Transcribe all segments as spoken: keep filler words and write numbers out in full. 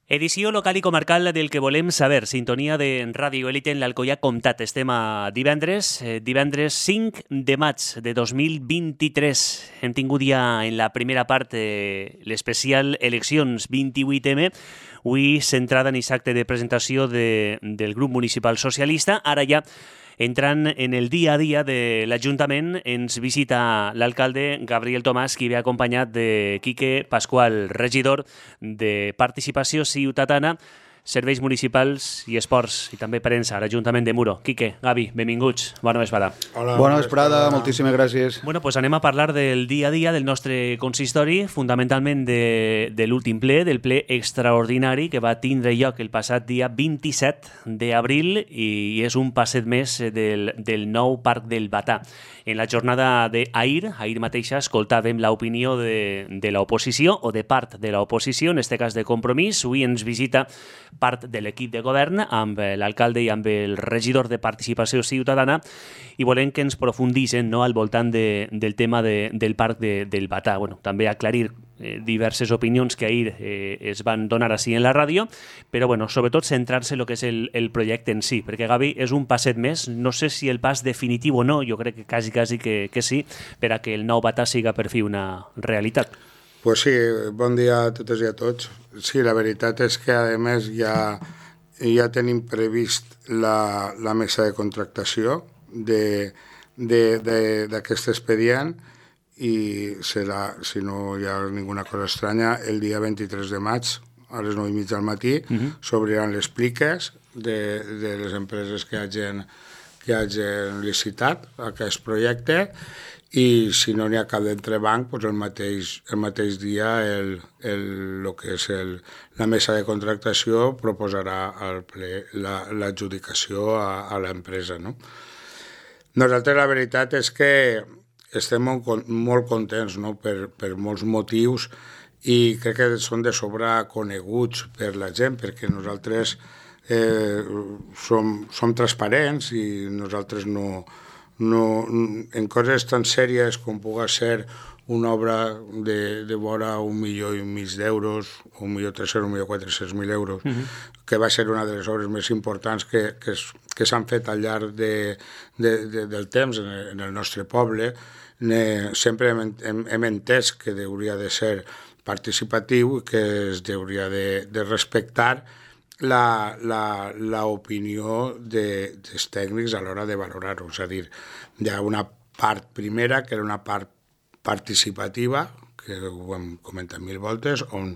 Edició local i comarcal del que volem saber. Sintonia de Ràdio Elite en l'Alcoià Comtat. Estem a divendres, eh, divendres cinc de maig de dos mil vint-i-tres. Hem tingut ja en la primera part eh, l'especial Eleccions vint-i-vuit eme, avui centrada en aquest acte de presentació de, del grup municipal socialista. Ara ja entrant en el dia a dia de l'Ajuntament, ens visita l'alcalde Gabriel Tomàs, qui ve acompanyat de Quique Pasqual, regidor de Participació Ciutadana, Serveis Municipals i Esports, i també premsa a l'Ajuntament de Muro. Quique, Gavi, benvinguts. Bona vesprada. Hola, bona vesprada, moltíssimes gràcies. Bueno, pues anem a parlar del dia a dia del nostre consistori, fundamentalment de, de l'últim ple, del ple extraordinari que va tindre lloc el passat dia vint-i-set d'abril i és un passet més del, del nou Parc del Batà. En la jornada d'ahir, ahir mateixa, escoltàvem l'opinió de, de l'oposició o de part de l'oposició, en este cas de Compromís. Avui ens visita part de l'equip de govern amb l'alcalde i amb el regidor de Participació Ciutadana i volem que ens profundissin, no, al voltant de, del tema de, del Parc de, del Batà. Bueno, també aclarir eh, diverses opinions que ahir eh, es van donar així en la ràdio, però bueno, sobretot centrar-se en el que és el, el projecte en si, perquè Gavi és un passet més, no sé si el pas definitiu o no, jo crec que quasi, quasi que, que sí, per a que el nou Batà siga per fi una realitat. Pues sí, bon dia a totes i a tots. Sí, la veritat és que, a més, ja, ja tenim previst la, la mesa de contractació d'aquest expedient i serà, si no hi ha ninguna cosa estranya, el dia vint-i-tres de maig, a les nou i mitja del matí, uh-huh. s'obriran les pliques de, de les empreses que hagin, que hagin licitat aquest projecte i si no n'hi ha cap d'entrebanc, doncs el mateix, el mateix dia el, el, el que és el, la mesa de contractació proposarà al ple l'adjudicació a, a l'empresa. No? Nosaltres la veritat és que estem molt, molt contents, no? per, per molts motius i crec que són de sobre coneguts per la gent, perquè nosaltres eh, som, som transparents i nosaltres no... No, en coses tan sèries com pugui ser una obra de, de vora un milió i mig d'euros, un milió tres-cents, un milió quatre-cents mil euros, uh-huh. que va ser una de les obres més importants que, que, que s'han fet al llarg de, de, de, del temps en el, en el nostre poble. Ne, sempre hem, hem, hem entès que hauria de ser participatiu i que es hauria de, de respectar La, la, la opinió de, dels tècnics a l'hora de valorar-ho. És a dir, hi ha una part primera, que era una part participativa, que ho hem comentat mil voltes, on,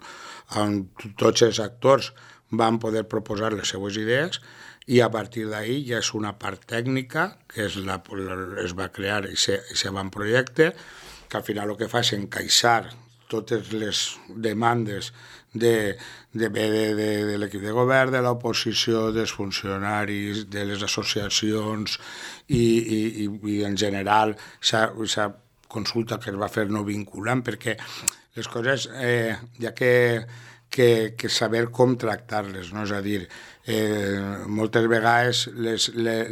on tots els actors van poder proposar les seues idees i a partir d'ahir ja és una part tècnica, que és la, es va crear i se, se va en projecte, que al final el que fa és encaixar totes les demandes de, de, de, de, de l'equip de govern, de l'oposició, dels funcionaris, de les associacions i, i, i, i en general aquesta consulta que es va fer no vinculant, perquè les coses eh, hi ha que, que, que saber com tractar-les, no? És a dir, eh, moltes vegades les, les,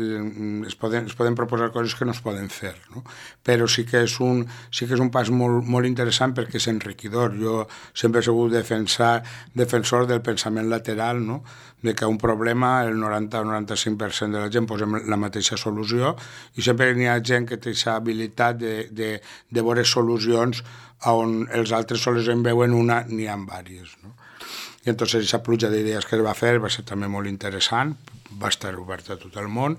es, poden, es poden proposar coses que no es poden fer, no? Però sí que és un, sí que és un pas molt, molt interessant perquè és enriquidor. Jo sempre he sigut defensar, defensor del pensament lateral, no? De que un problema el noranta o noranta-cinc per cent de la gent posem la mateixa solució i sempre hi ha gent que té aquesta habilitat de, de, de veure solucions on els altres sols en veuen una, n'hi ha diverses, no? I entonces aquesta pluja d'idees que es va fer va ser també molt interessant, va estar oberta a tot el món,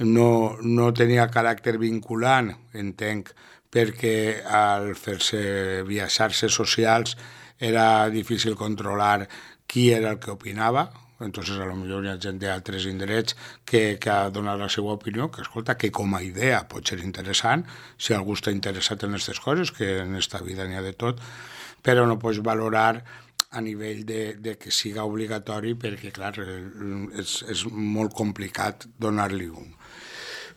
no, no tenia caràcter vinculant, entenc, perquè al fer-se via xarxes socials era difícil controlar qui era el que opinava, entonces a lo millor hi ha gent d'altres indrets que, que ha donat la seva opinió, que escolta, que com a idea pot ser interessant, si algú està interessat en aquestes coses, que en esta vida n'hi ha de tot, però no pots valorar a nivell de, de que siga obligatori perquè, clar, és, és molt complicat donar-li un.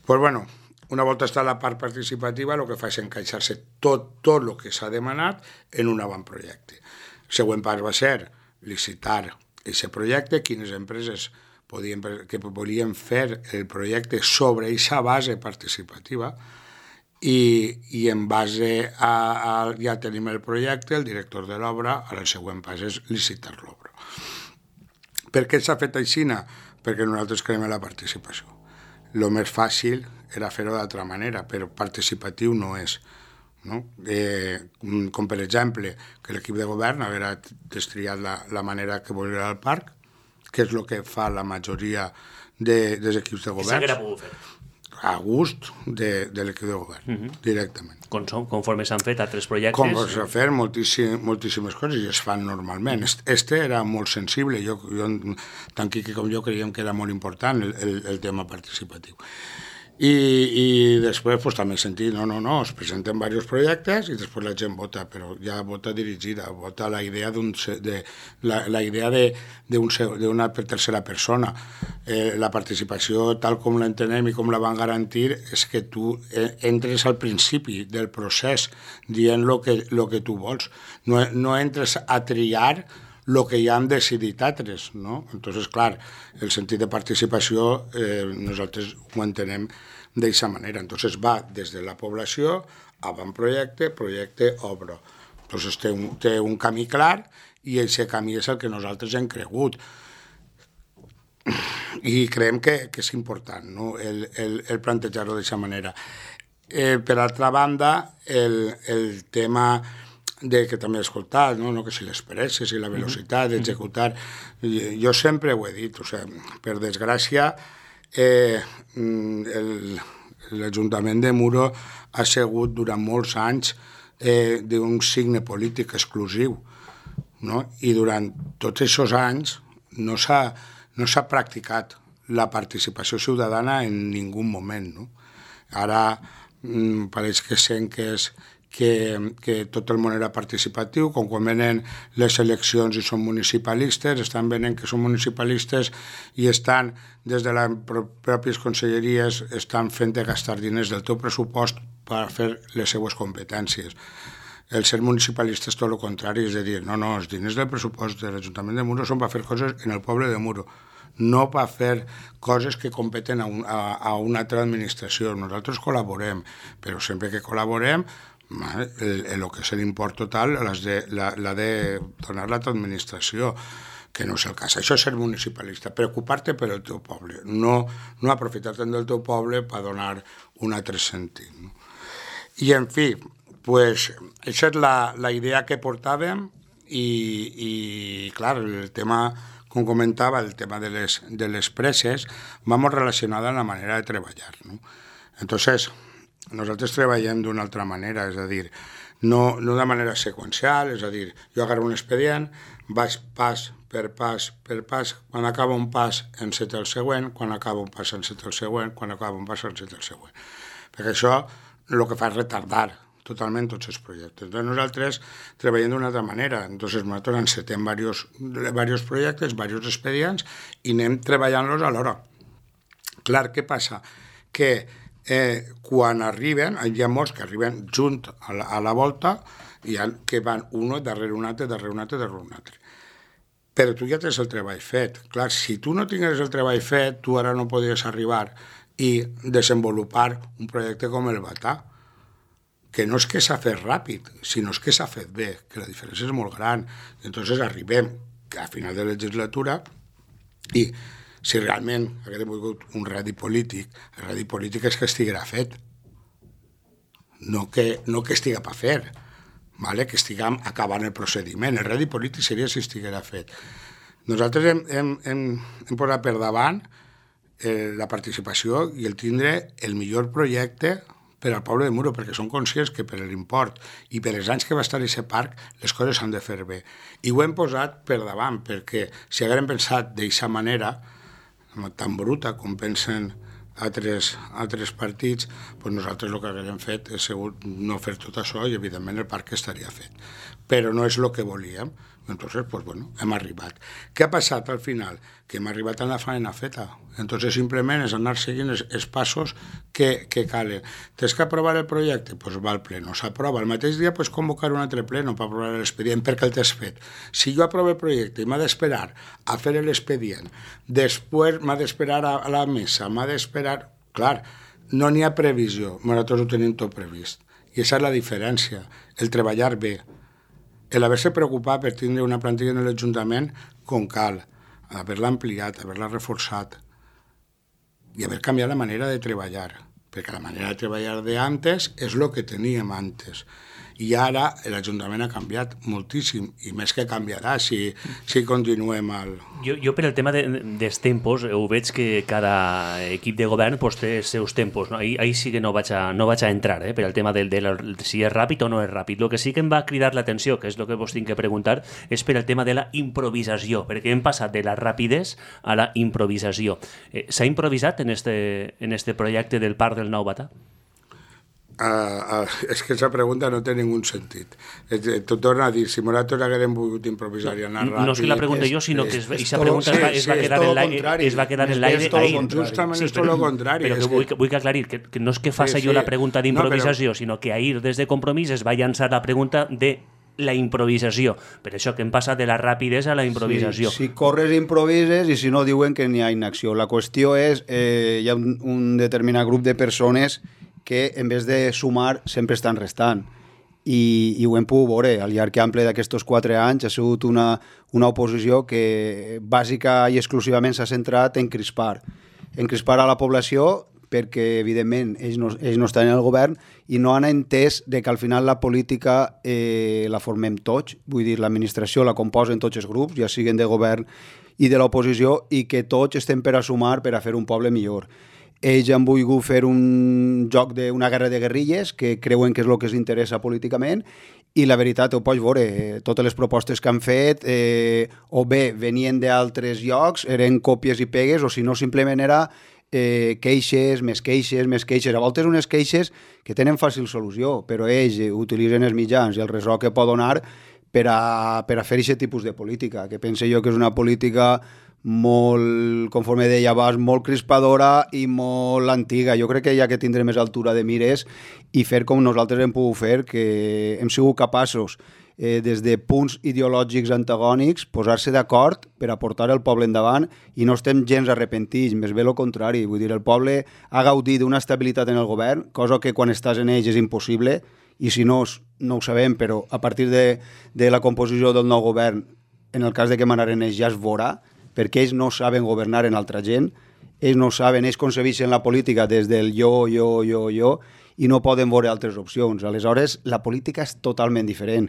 Pues bueno, una volta està la part participativa, el que fa és encaixar-se tot, tot el que s'ha demanat en un avantprojecte. El següent pas va ser licitar aquest projecte, quines empreses podien, que volien fer el projecte sobre aquesta base participativa, i, i en base a, a ja tenim el projecte, el director de l'obra, ara el següent pas és licitar l'obra. Per què s'ha fet aixina? Perquè nosaltres creiem en la participació. El més fàcil era fer-ho d'altra manera, però participatiu no és. No? Eh, com per exemple, que l'equip de govern haguera destriat la, la manera que volia el parc, que és el que fa la majoria de, dels equips de govern. Que s'haguera pogut fer. A gust de, de l'equip de govern, uh -huh. directament. Com són, conforme s'han fet altres projectes. Com s'han fet moltíssim, moltíssimes coses i es fan normalment. Este era molt sensible, jo, jo, tant Quique com jo creiem que era molt important el, el, el tema participatiu. I, i després pues, també he sentit, no, no, no, es presenten diversos projectes i després la gent vota, però ja vota dirigida, vota la idea de, la, la idea d'una tercera persona. Eh, la participació, tal com l'entenem i com la van garantir, és que tu entres al principi del procés dient el que, lo que tu vols. No, no entres a triar el que ja han decidit altres, no? Entonces, clar, el sentit de participació eh, nosaltres ho entenem d'aquesta manera. Entonces va des de la població, avantprojecte, projecte, obra. Entonces té un, té un camí clar i aquest camí és el que nosaltres hem cregut. I creiem que, que és important, no? el, el, el plantejar-ho d'aquesta manera. Eh, per altra banda, el, el tema de que també he escoltat, no? No, que si les presses i la velocitat d'executar. Jo sempre ho he dit, o sigui, per desgràcia, eh, l'Ajuntament de Muro ha sigut durant molts anys eh, d'un signe polític exclusiu, no? I durant tots aquests anys no s'ha no s'ha practicat la participació ciutadana en ningú moment, no? Ara mm, pareix que sent que és Que, que tot el món era participatiu, com quan venen les eleccions i són municipalistes, estan venent que són municipalistes i estan, des de les pròpies conselleries, estan fent de gastar diners del teu pressupost per fer les seues competències. El ser municipalista és tot el contrari, és a dir, no, no, els diners del pressupost de l'Ajuntament de Muro són per fer coses en el poble de Muro, no per fer coses que competen a, un, a, a una altra administració. Nosaltres col·laborem, però sempre que col·laborem, el, el que és l'import total l'ha de donar la teva administració, que no és el cas. Això és ser municipalista, preocupar-te per el teu poble, no, no aprofitar-te'n del teu poble per donar un altre sentit. No? I, en fi, pues, aquesta és la, la idea que portàvem i, i clar, el tema, com comentava, el tema de les, de les presses va molt relacionada amb la manera de treballar. No? Entonces, nosaltres treballem d'una altra manera, és a dir, no, no de manera seqüencial, és a dir, jo agarro un expedient, vaig pas per pas per pas, quan acaba un pas enceta el següent, quan acaba un pas enceta el següent, quan acaba un pas enceta el següent. Perquè això el que fa és retardar totalment tots els projectes. Entonces nosaltres treballem d'una altra manera. Entonces nosaltres encetem diversos, diversos projectes, diversos expedients i anem treballant-los alhora. Clar, què passa? Que Eh, quan arriben, hi ha molts que arriben junt a la, a la volta i ha, que van un darrere un altre, darrere un altre, darrere un altre. Però tu ja tens el treball fet. Clar, si tu no tingués el treball fet, tu ara no podries arribar i desenvolupar un projecte com el Batà, que no és que s'ha fet ràpid, sinó és que s'ha fet bé, que la diferència és molt gran. Entonces arribem a final de legislatura i si realment haguem volgut un radi polític, el radi polític és que estiguera fet, no que, no que estiga per fer, vale? Que estiguem acabant el procediment. El radi polític seria si estiguera fet. Nosaltres hem, hem, hem, hem posat per davant eh, la participació i el tindre el millor projecte per al poble de Muro, perquè som conscients que per l'import i per els anys que va estar aquest parc, les coses s'han de fer bé. I ho hem posat per davant, perquè si haguem pensat d'aquesta manera, tan bruta com pensen altres, altres partits, doncs nosaltres el que haguem fet és segur no fer tot això i evidentment el parc estaria fet. Però no és el que volíem. Entonces, pues bueno, hem arribat. Què ha passat al final? Que hem arribat a la faena feta. Entonces, simplement és anar seguint els, els passos que, que calen. Tens que aprovar el projecte? Pues va al pleno. S'aprova. El mateix dia pots convocar un altre pleno per aprovar l'expedient perquè el t'has fet. Si jo aprovo el projecte i m'ha d'esperar a fer l'expedient, després m'ha d'esperar a, a la mesa, m'ha d'esperar... Clar, no n'hi ha previsió. Nosaltres ho tenim tot previst. I aquesta és la diferència. El treballar bé. El haver-se preocupat per tindre una plantilla en l'Ajuntament com cal, haver-la ampliat, haver-la reforçat i haver canviat la manera de treballar, perquè la manera de treballar d'antes és el que teníem antes. I ara l'Ajuntament ha canviat moltíssim, i més que canviarà si, si continuem al... Jo, jo per el tema de, dels tempos, ho veig que cada equip de govern pues, té els seus tempos. No? Ahí, ahí sí que no vaig a, no vaig a entrar, eh, per el tema del, del, si és ràpid o no és ràpid. El que sí que em va cridar l'atenció, que és el que vos tinc que preguntar, és per el tema de la improvisació, perquè hem passat de la rapidesa a la improvisació. Eh, S'ha improvisat en este, en este projecte del Parc del Nou Batà? Uh, uh, és que aquesta pregunta no té ningun sentit. Tu torna a dir, si nosaltres haguérem volgut improvisar i anar ràpid... No és que la pregunta jo, sinó que aquesta pregunta es va, es va quedar en l'aire. Es va quedar en l'aire ahir. Justament és tot el contrari. Però que vull, vull que aclarir, que, que no és que faci sí, sí. jo la pregunta d'improvisació, no, però... sinó que ahir, des de Compromís, es va llançar la pregunta de la improvisació. Per això que hem passat de la rapidesa a la improvisació. Sí, si corres, improvises, i si no, diuen que n'hi ha inacció. La qüestió és, eh, hi ha un, un determinat grup de persones que en vez de sumar sempre estan restant. I, i ho hem pogut veure al llarg ample d'aquests quatre anys. Ha sigut una, una oposició que bàsica i exclusivament s'ha centrat en crispar. En crispar a la població perquè, evidentment, ells no, ells no estan en el govern i no han entès de que al final la política eh, la formem tots. Vull dir, l'administració la composen tots els grups, ja siguin de govern i de l'oposició, i que tots estem per a sumar per a fer un poble millor. Ells han volgut fer un joc d'una guerra de guerrilles que creuen que és el que els interessa políticament, i la veritat, ho pots veure, totes les propostes que han fet eh, o bé venien d'altres llocs, eren còpies i pegues, o si no simplement era eh, queixes, més queixes, més queixes. A voltes unes queixes que tenen fàcil solució, però ells utilitzen els mitjans i el ressò que pot donar per a, per a fer aquest tipus de política, que pense jo que és una política molt, conforme deia abans, molt crispadora i molt antiga. Jo crec que hi ha que tindre més altura de mires i fer com nosaltres hem pogut fer, que hem sigut capaços, eh, des de punts ideològics antagònics, posar-se d'acord per a portar el poble endavant, i no estem gens arrepentits, més bé el contrari. Vull dir, el poble ha gaudit d'una estabilitat en el govern, cosa que quan estàs en ells és impossible, i si no, no ho sabem, però a partir de, de la composició del nou govern, en el cas de que manaren ells, ja es veurà, perquè ells no saben governar en altra gent, ells no saben, ells concebeixen la política des del jo, jo, jo, jo, i no poden veure altres opcions. Aleshores, la política és totalment diferent.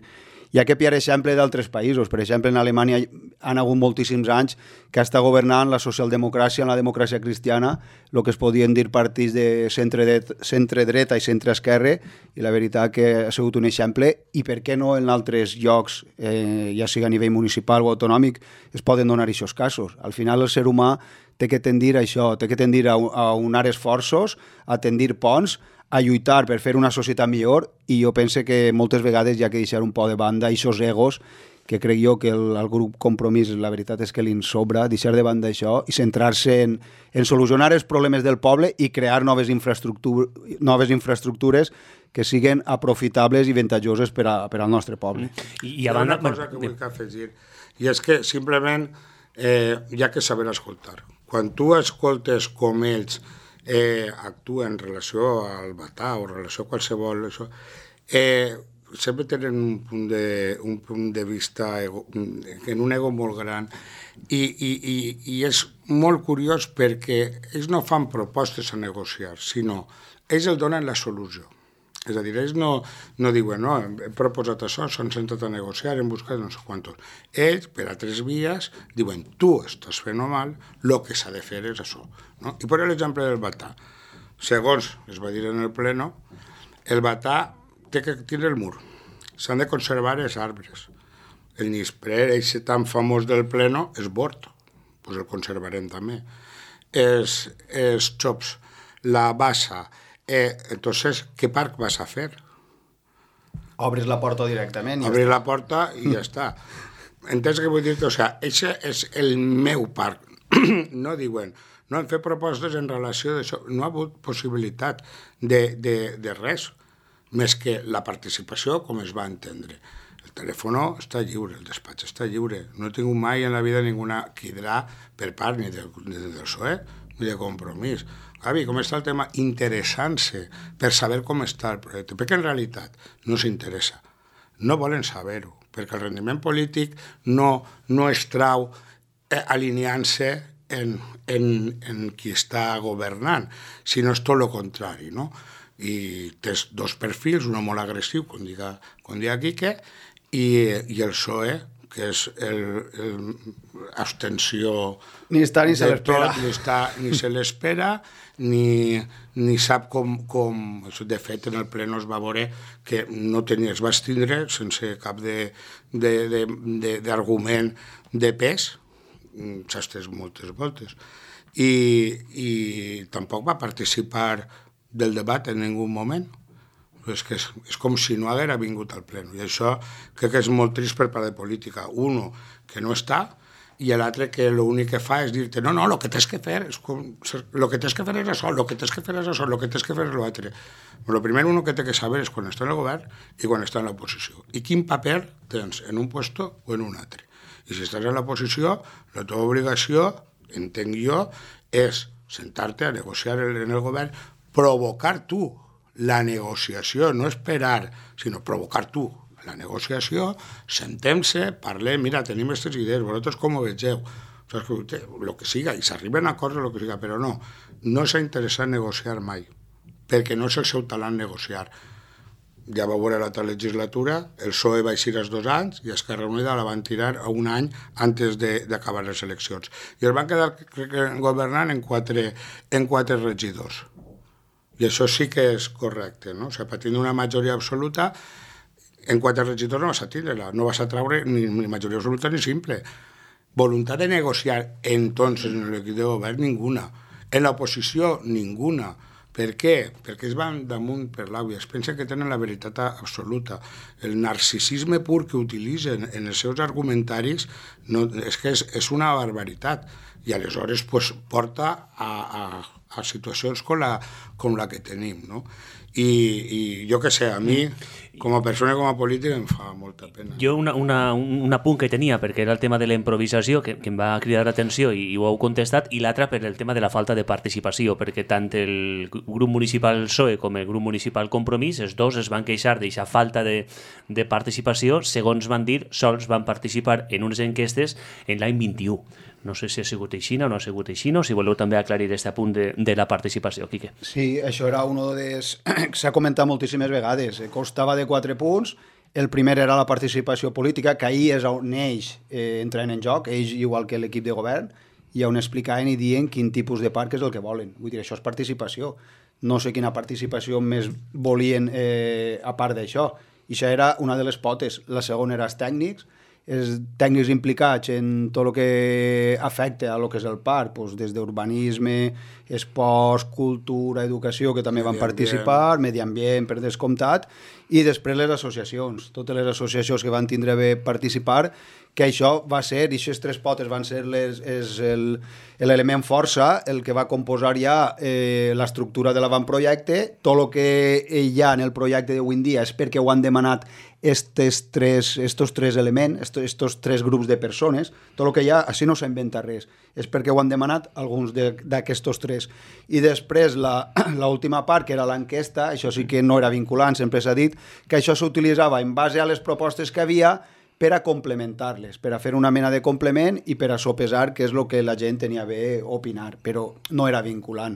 Hi ha que pillar exemple d'altres països. Per exemple, en Alemanya han hagut moltíssims anys que està governant la socialdemocràcia, en la democràcia cristiana, el que es podien dir partits de centre-dreta i centre-esquerra, i la veritat que ha sigut un exemple, i per què no en altres llocs, eh, ja sigui a nivell municipal o autonòmic, es poden donar aquests casos. Al final el ser humà té que tendir a això, té que tendir a, a unar esforços, a tendir ponts, a lluitar per fer una societat millor, i jo penso que moltes vegades hi ha que deixar un poc de banda aquests egos, que crec jo que el, el grup Compromís, la veritat és que li sobra, deixar de banda això i centrar-se en, en solucionar els problemes del poble i crear noves, infraestructur noves infraestructures que siguin aprofitables i avantatjoses per, a, per al nostre poble. I, i a banda, una cosa que vull afegir, i és que simplement eh, hi ha que saber escoltar. Quan tu escoltes com ells eh, actuen en relació al Batà o en relació a qualsevol... Això, eh, sempre tenen un punt de, un punt de vista ego, en un ego molt gran, i, i, i, i és molt curiós perquè ells no fan propostes a negociar, sinó ells el donen la solució. És a dir, ells no, no diuen, no, hem proposat això, s'han sentat a negociar, hem buscat no sé quantos. Ells, per a tres vies, diuen, tu estàs fent mal, el que s'ha de fer és això. No? I per l'exemple del Batà. Segons es va dir en el pleno, el Batà té que tindre el mur. S'han de conservar els arbres. El nisprer, aquest tan famós del pleno, és bord. Pues el conservarem també. Els, els xops, la bassa. Eh, entonces, ¿qué parc vas a fer? Obres la porta directament. Obres la porta i ja està. Entens què vull dir-te? O sigui, aquest és el meu parc. No diuen, no han fet propostes en relació d'això. No ha hagut possibilitat de, de, de res, més que la participació com es va entendre. El telèfon està lliure, el despatx està lliure. No he tingut mai en la vida ninguna quidrà per part ni del, ni del P S O E ni de Compromís. Gavi, com està el tema? Interessant-se per saber com està el projecte, perquè en realitat no s'interessa. No volen saber-ho, perquè el rendiment polític no, no es trau eh, alineant-se en, en, en qui està governant, sinó és tot el contrari, no? I tens dos perfils, un molt agressiu, com diga, com diga Quique, i, i el P S O E, que és l'abstenció... Ni està ni se l'espera. Ni, està, ni se l'espera, ni, ni sap com, com... De fet, en el ple no es va veure que no tenia, es va estindre sense cap d'argument de, de, de, de pes, s'ha estès moltes voltes, i, i tampoc va participar del debat en ningú moment. És que és, és com si no haguera vingut al pleno, i això crec que és molt trist per part de política. Uno, que no està, i l'altre que l'únic que fa és dir-te no, no, el que tens que fer és com, lo que tens que fer és això, el que tens que fer és això, el que tens que fer és l'altre. El primer uno que té que saber és quan està en el govern i quan està en l'oposició. I quin paper tens en un puesto o en un altre. I si estàs en l'oposició, la teva obligació, entenc jo, és sentar-te a negociar en el govern, provocar tu la negociació, no esperar, sinó provocar tu la negociació, sentem-se, parlem, mira, tenim aquestes idees, vosaltres com ho vegeu, el que siga, i s'arriben a acords o el que siga, però no, no s'ha interessat negociar mai, perquè no és el seu talent negociar. Ja va veure l'altra legislatura, el P S O E va eixir als dos anys i Esquerra Unida la van tirar a un any antes d'acabar les eleccions. I es van quedar governant en quatre, en quatre regidors. I això sí que és correcte, no? O sigui, patint una majoria absoluta, en quatre regidors no vas a tindre-la, no vas a traure ni, ni majoria absoluta ni simple. Voluntat de negociar, entonces, en l'equip de govern, ninguna. En l'oposició, ninguna. Per què? Perquè es van damunt per l'àvia, es pensen que tenen la veritat absoluta. El narcisisme pur que utilitzen en els seus argumentaris no, és que és, és una barbaritat, i aleshores pues, porta a, a, a situacions com la, com la que tenim, no? I, i jo que sé, a mi, com a persona i com a polític, em fa molta pena. Jo una, una, un apunt que tenia, perquè era el tema de la improvisació, que, que em va cridar l'atenció i, i ho heu contestat, i l'altra per el tema de la falta de participació, perquè tant el grup municipal P S O E com el grup municipal Compromís, els dos es van queixar d'aquesta falta de, de participació, segons van dir, sols van participar en unes enquestes en l'any vint-i-u. No sé si ha sigut així o no ha sigut així, o si voleu també aclarir aquest apunt de, de la participació, Quique. Sí, això era un dels... s'ha comentat moltíssimes vegades. Costava de quatre punts. El primer era la participació política, que ahir és on ells eh, entren en joc, ells igual que l'equip de govern, i on explicaven i dient quin tipus de parc és el que volen. Vull dir, això és participació. No sé quina participació més volien eh, a part d'això. I això era una de les potes. La segona era els tècnics, els tècnics implicats en tot el que afecta a lo que és el parc, doncs des d'urbanisme, esports, cultura, educació, que també van participar, medi ambient, per descomptat, i després les associacions, totes les associacions que van tindre bé participar, que això va ser, i aquestes tres potes van ser les, és l'element força, el que va composar ja eh, l'estructura de l'avantprojecte. Tot el que hi ha en el projecte d'avui en dia és perquè ho han demanat estos tres, estos tres elements, estos, estos tres grups de persones. Tot el que hi ha, així no s'ha inventat res, és perquè ho han demanat alguns d'aquests tres. I després l'última part, que era l'enquesta, això sí que no era vinculant, sempre s'ha dit que això s'utilitzava en base a les propostes que havia per a complementar-les, per a fer una mena de complement i per a sopesar què és el que la gent tenia bé opinar, però no era vinculant.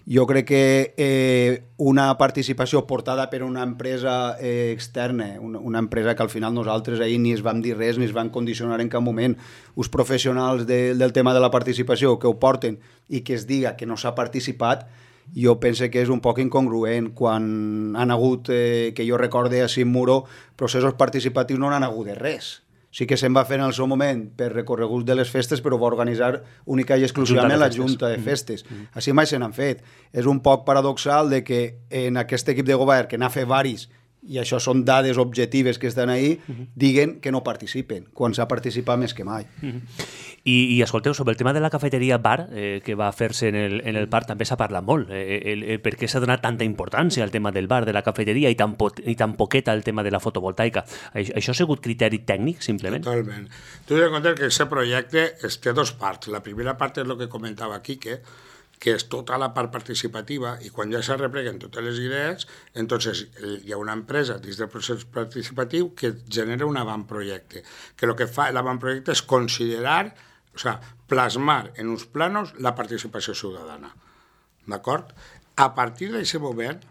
Jo crec que eh, una participació portada per una empresa eh, externa, una, una empresa que al final nosaltres ahir ni es vam dir res, ni es van condicionar en cap moment, uns professionals de, del tema de la participació que ho porten i que es diga que no s'ha participat, jo penso que és un poc incongruent quan han hagut, eh, que jo recorde a Muro, processos participatius no han hagut de res. Sí que se'n va fer en el seu moment per recorreguts de les festes, però va organitzar única i exclusivament la Junta de Festes. Mm -hmm. Així mai se n'han fet. És un poc paradoxal de que en aquest equip de govern, que n'ha fet varis, i això són dades objectives que estan ahí, uh -huh. diguen que no participen, quan s'ha participat més que mai. Uh -huh. I, I escolteu, sobre el tema de la cafeteria bar eh, que va fer-se en el, en el parc també s'ha parlat molt. Eh, el, el, per què s'ha donat tanta importància al tema del bar, de la cafeteria, i tan, pot, i tan poqueta al tema de la fotovoltaica? Això, això ha sigut criteri tècnic, simplement? Totalment. Tu has de comptar que aquest projecte té dos parts. La primera part és el que comentava Quique, que és tota la part participativa, i quan ja se repleguen totes les idees, entonces hi ha una empresa dins del procés participatiu que genera un avantprojecte, que el que fa l'avantprojecte és considerar o sea, plasmar en uns planos la participació ciutadana. D'acord? A partir d'aquest moment,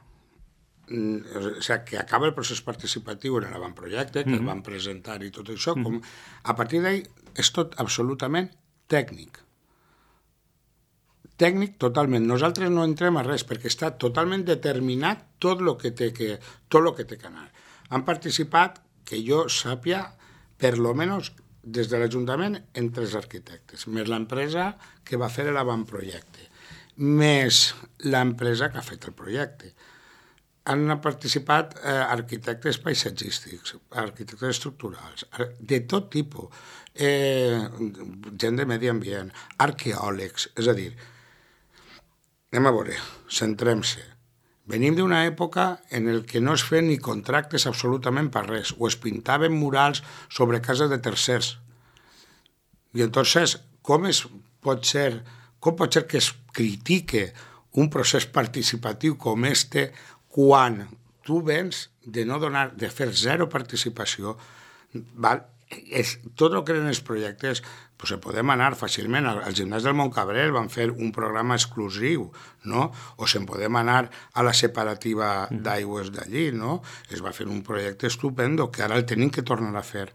o sigui, que acaba el procés participatiu en l'avantprojecte, que mm-hmm. el van presentar i tot això, com, a partir d'ahí és tot absolutament tècnic. Tècnic totalment. Nosaltres no entrem a res perquè està totalment determinat tot el que té que, tot lo que, té que anar. Han participat, que jo sàpia, per lo menos des de l'Ajuntament, en tres arquitectes, més l'empresa que va fer l'avantprojecte, més l'empresa que ha fet el projecte. Han participat eh, arquitectes paisatgístics, arquitectes estructurals, de tot tipus, eh, gent de medi ambient, arqueòlegs, és a dir, anem a veure, centrem-se. Venim d'una època en el que no es feien ni contractes absolutament per res, o es pintaven murals sobre cases de tercers. I entonces, com es pot ser, com pot ser que es critique un procés participatiu com este quan tu vens de no donar, de fer zero participació, val? És, tot el que eren els projectes, pues, podem anar fàcilment. Al, al gimnàs del Montcabrel van fer un programa exclusiu, no? O se'n podem anar a la separativa d'aigües d'allí, no? Es va fer un projecte estupendo que ara el tenim que tornar a fer.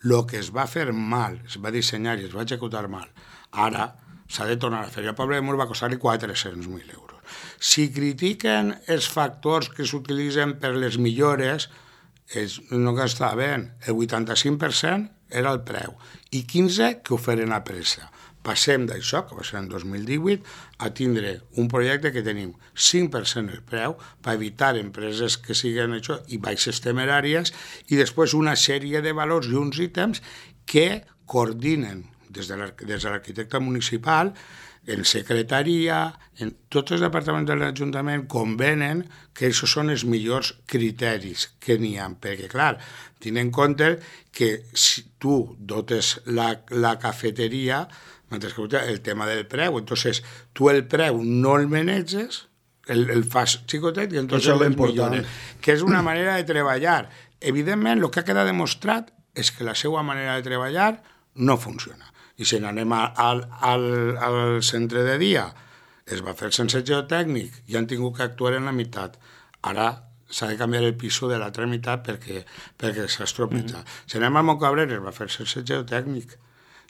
Lo que es va fer mal, es va dissenyar i es va executar mal, ara s'ha de tornar a fer. I al poble de Mur va costar-li quatre-cents mil euros. Si critiquen els factors que s'utilitzen per les millores, és, no que està bé, el vuitanta-cinc per cent era el preu i quinze per cent que ho feren a pressa. Passem d'això, que va ser en dos mil divuit, a tindre un projecte que tenim cinc per cent el preu per evitar empreses que siguin això i baixes temeràries i després una sèrie de valors i uns ítems que coordinen des de l'arquitecte municipal, en secretaria, en tots els departaments de l'Ajuntament convenen que això són els millors criteris que n'hi ha, perquè, clar, tenint en compte que si tu dotes la, la cafeteria, mentre que el tema del preu, entonces tu el preu no el maneges, el, el fas xicotet i entonces el millores, que és una manera de treballar. Evidentment, el que ha quedat demostrat és que la seva manera de treballar no funciona. I si n'anem al, al, al centre de dia, es va fer sense geotècnic i han tingut que actuar en la meitat. Ara s'ha de canviar el piso de l'altra meitat perquè, perquè s'ha estropetzat. Mm-hmm. Si anem al Montcabrera, es va fer sense geotècnic.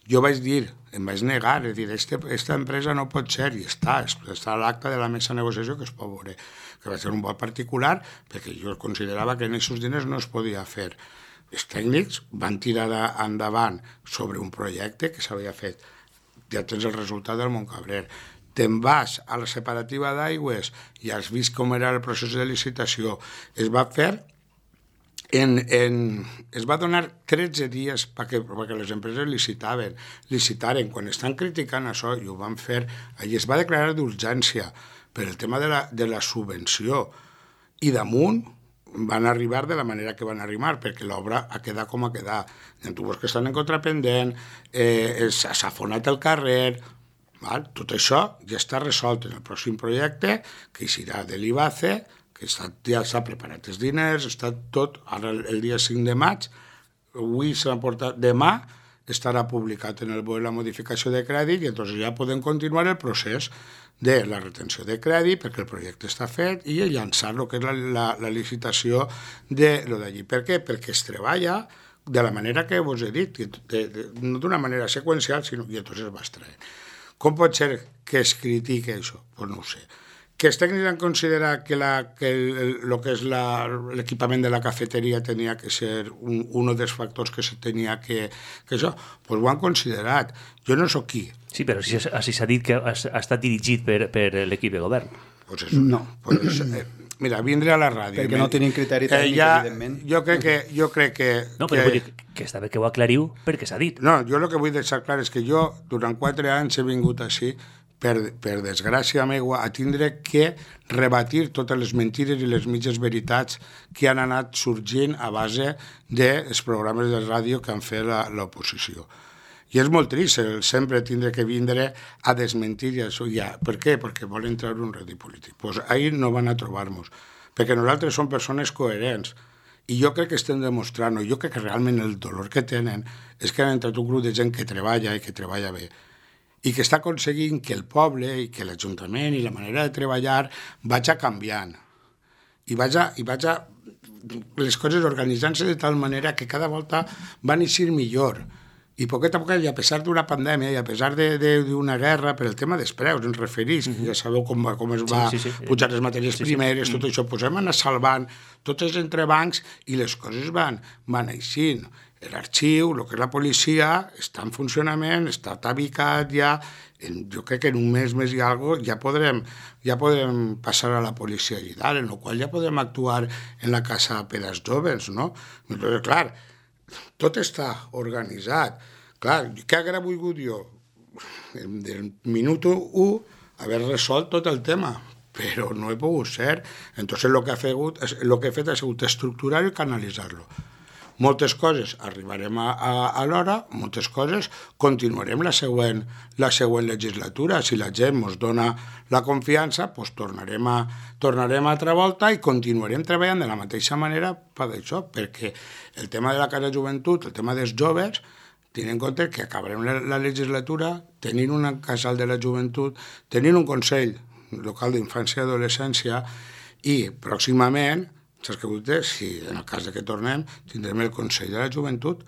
Jo vaig dir, em vaig negar, és dir, este, esta empresa no pot ser, i està, està a l'acte de la mesa de negociació que es pot veure, que va ser un vot particular, perquè jo considerava que en aquests diners no es podia fer. Els tècnics van tirar endavant sobre un projecte que s'havia fet. Ja tens el resultat del Montcabrer. Te'n vas a la separativa d'aigües i has vist com era el procés de licitació. Es va fer, en, en, es va donar tretze dies perquè, perquè les empreses licitaven, licitaren. Quan estan criticant això, i ho van fer, allí es va declarar d'urgència per el tema de la, de la subvenció. I damunt van arribar de la manera que van arribar, perquè l'obra ha quedat com ha quedat. Hi ha tubos que estan en contrapendent, eh, s'ha afonat el carrer, val? Tot això ja està resolt en el pròxim projecte, que serà de l'I B A C E, que està, ja s'ha preparat els diners, està tot, ara el, el dia cinc de maig, avui s'ha portat, demà estarà publicat en el B O E la modificació de crèdit i llavors ja podem continuar el procés de la retenció de crèdit perquè el projecte està fet i llançar el que és la, la, la licitació de lo d'allí. Per què? Perquè es treballa de la manera que vos he dit, de, de, no d'una manera seqüencial, sinó que llavors es va extraient. Com pot ser que es critique això? Pues no ho sé. Que els tècnics han considerat que, la, que el, el que és l'equipament de la cafeteria tenia que ser un, un dels factors que se tenia que, que això, pues ho han considerat. Jo no soc qui. Sí, però si, si s'ha dit que ha, ha estat dirigit per, per l'equip de govern. Pues eso, no. Pues, eh, mira, vindré a la ràdio. Perquè no tenim criteri tècnic, eh, ja, evidentment. Jo crec que... Jo crec que no, però que, vull dir que està bé que ho aclariu perquè s'ha dit. No, jo el que vull deixar clar és que jo durant quatre anys he vingut així per, per desgràcia meua, a tindre que rebatir totes les mentires i les mitges veritats que han anat sorgint a base dels programes de ràdio que han fet l'oposició. I és molt trist el sempre tindre que vindre a desmentir i això ja. Per què? Perquè volen treure un rèdit polític. Doncs pues ahir no van a trobar-nos, perquè nosaltres som persones coherents I jo crec que estem demostrant, jo crec que realment el dolor que tenen és que han entrat un grup de gent que treballa i que treballa bé i que està aconseguint que el poble i que l'Ajuntament i la manera de treballar vaja canviant i vaja, i vaja les coses organitzant-se de tal manera que cada volta van eixir millor. I poquet a poquet, i a pesar d'una pandèmia i a pesar d'una guerra, per el tema dels preus, ens referís, que ja sabeu com, va, com es va sí, sí, sí. pujar les matèries sí, primeres, sí. tot això, doncs hem anat salvant tots els entrebancs i les coses van, van eixint. L'arxiu, el que és la policia, està en funcionament, està tabicat ja, en, jo crec que en un mes, mes i alguna cosa, ja podrem, ja podrem passar a la policia allà dalt, en el qual ja podrem actuar en la casa per als joves, no? Però, clar, tot està organitzat. Clar, què haguera volgut jo? Del minut u haver resolt tot el tema, però no he pogut ser. Entonces lo que, ha fet, lo que he fet ha sigut estructurar i canalitzar-lo. Moltes coses arribarem a, a, a l'hora, moltes coses continuarem la següent, la següent legislatura. Si la gent ens dona la confiança, doncs tornarem a, tornarem a altra volta i continuarem treballant de la mateixa manera per això, perquè el tema de la Casa Joventut, el tema dels joves, tenint en compte que acabarem la, la legislatura tenint un casal de la joventut, tenint un Consell Local d'Infància i Adolescència i pròximament, saps què vull dir? Si en el cas de que tornem, tindrem el Consell de la Joventut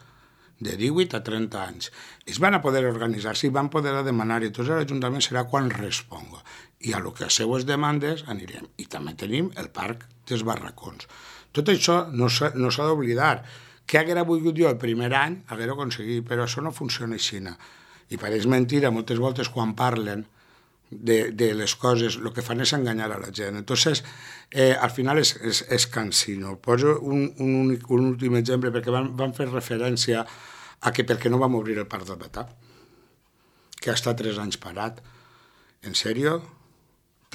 de divuit a trenta anys. Ells van a poder organitzar-se i van poder demanar i tots l'Ajuntament serà quan responga. I a lo que a seues demandes anirem. I també tenim el Parc dels Barracons. Tot això no s'ha no d'oblidar. Què haguera volgut jo el primer any? Haguera aconseguit, però això no funciona així. I pareix mentira moltes voltes quan parlen de, de les coses, el que fan és enganyar a la gent. Entonces, eh, al final és, és, és cansino. Poso un, un, únic, un últim exemple, perquè van, van fer referència a que per què no vam obrir el Parc del Batà, que ha estat tres anys parat. En sèrio?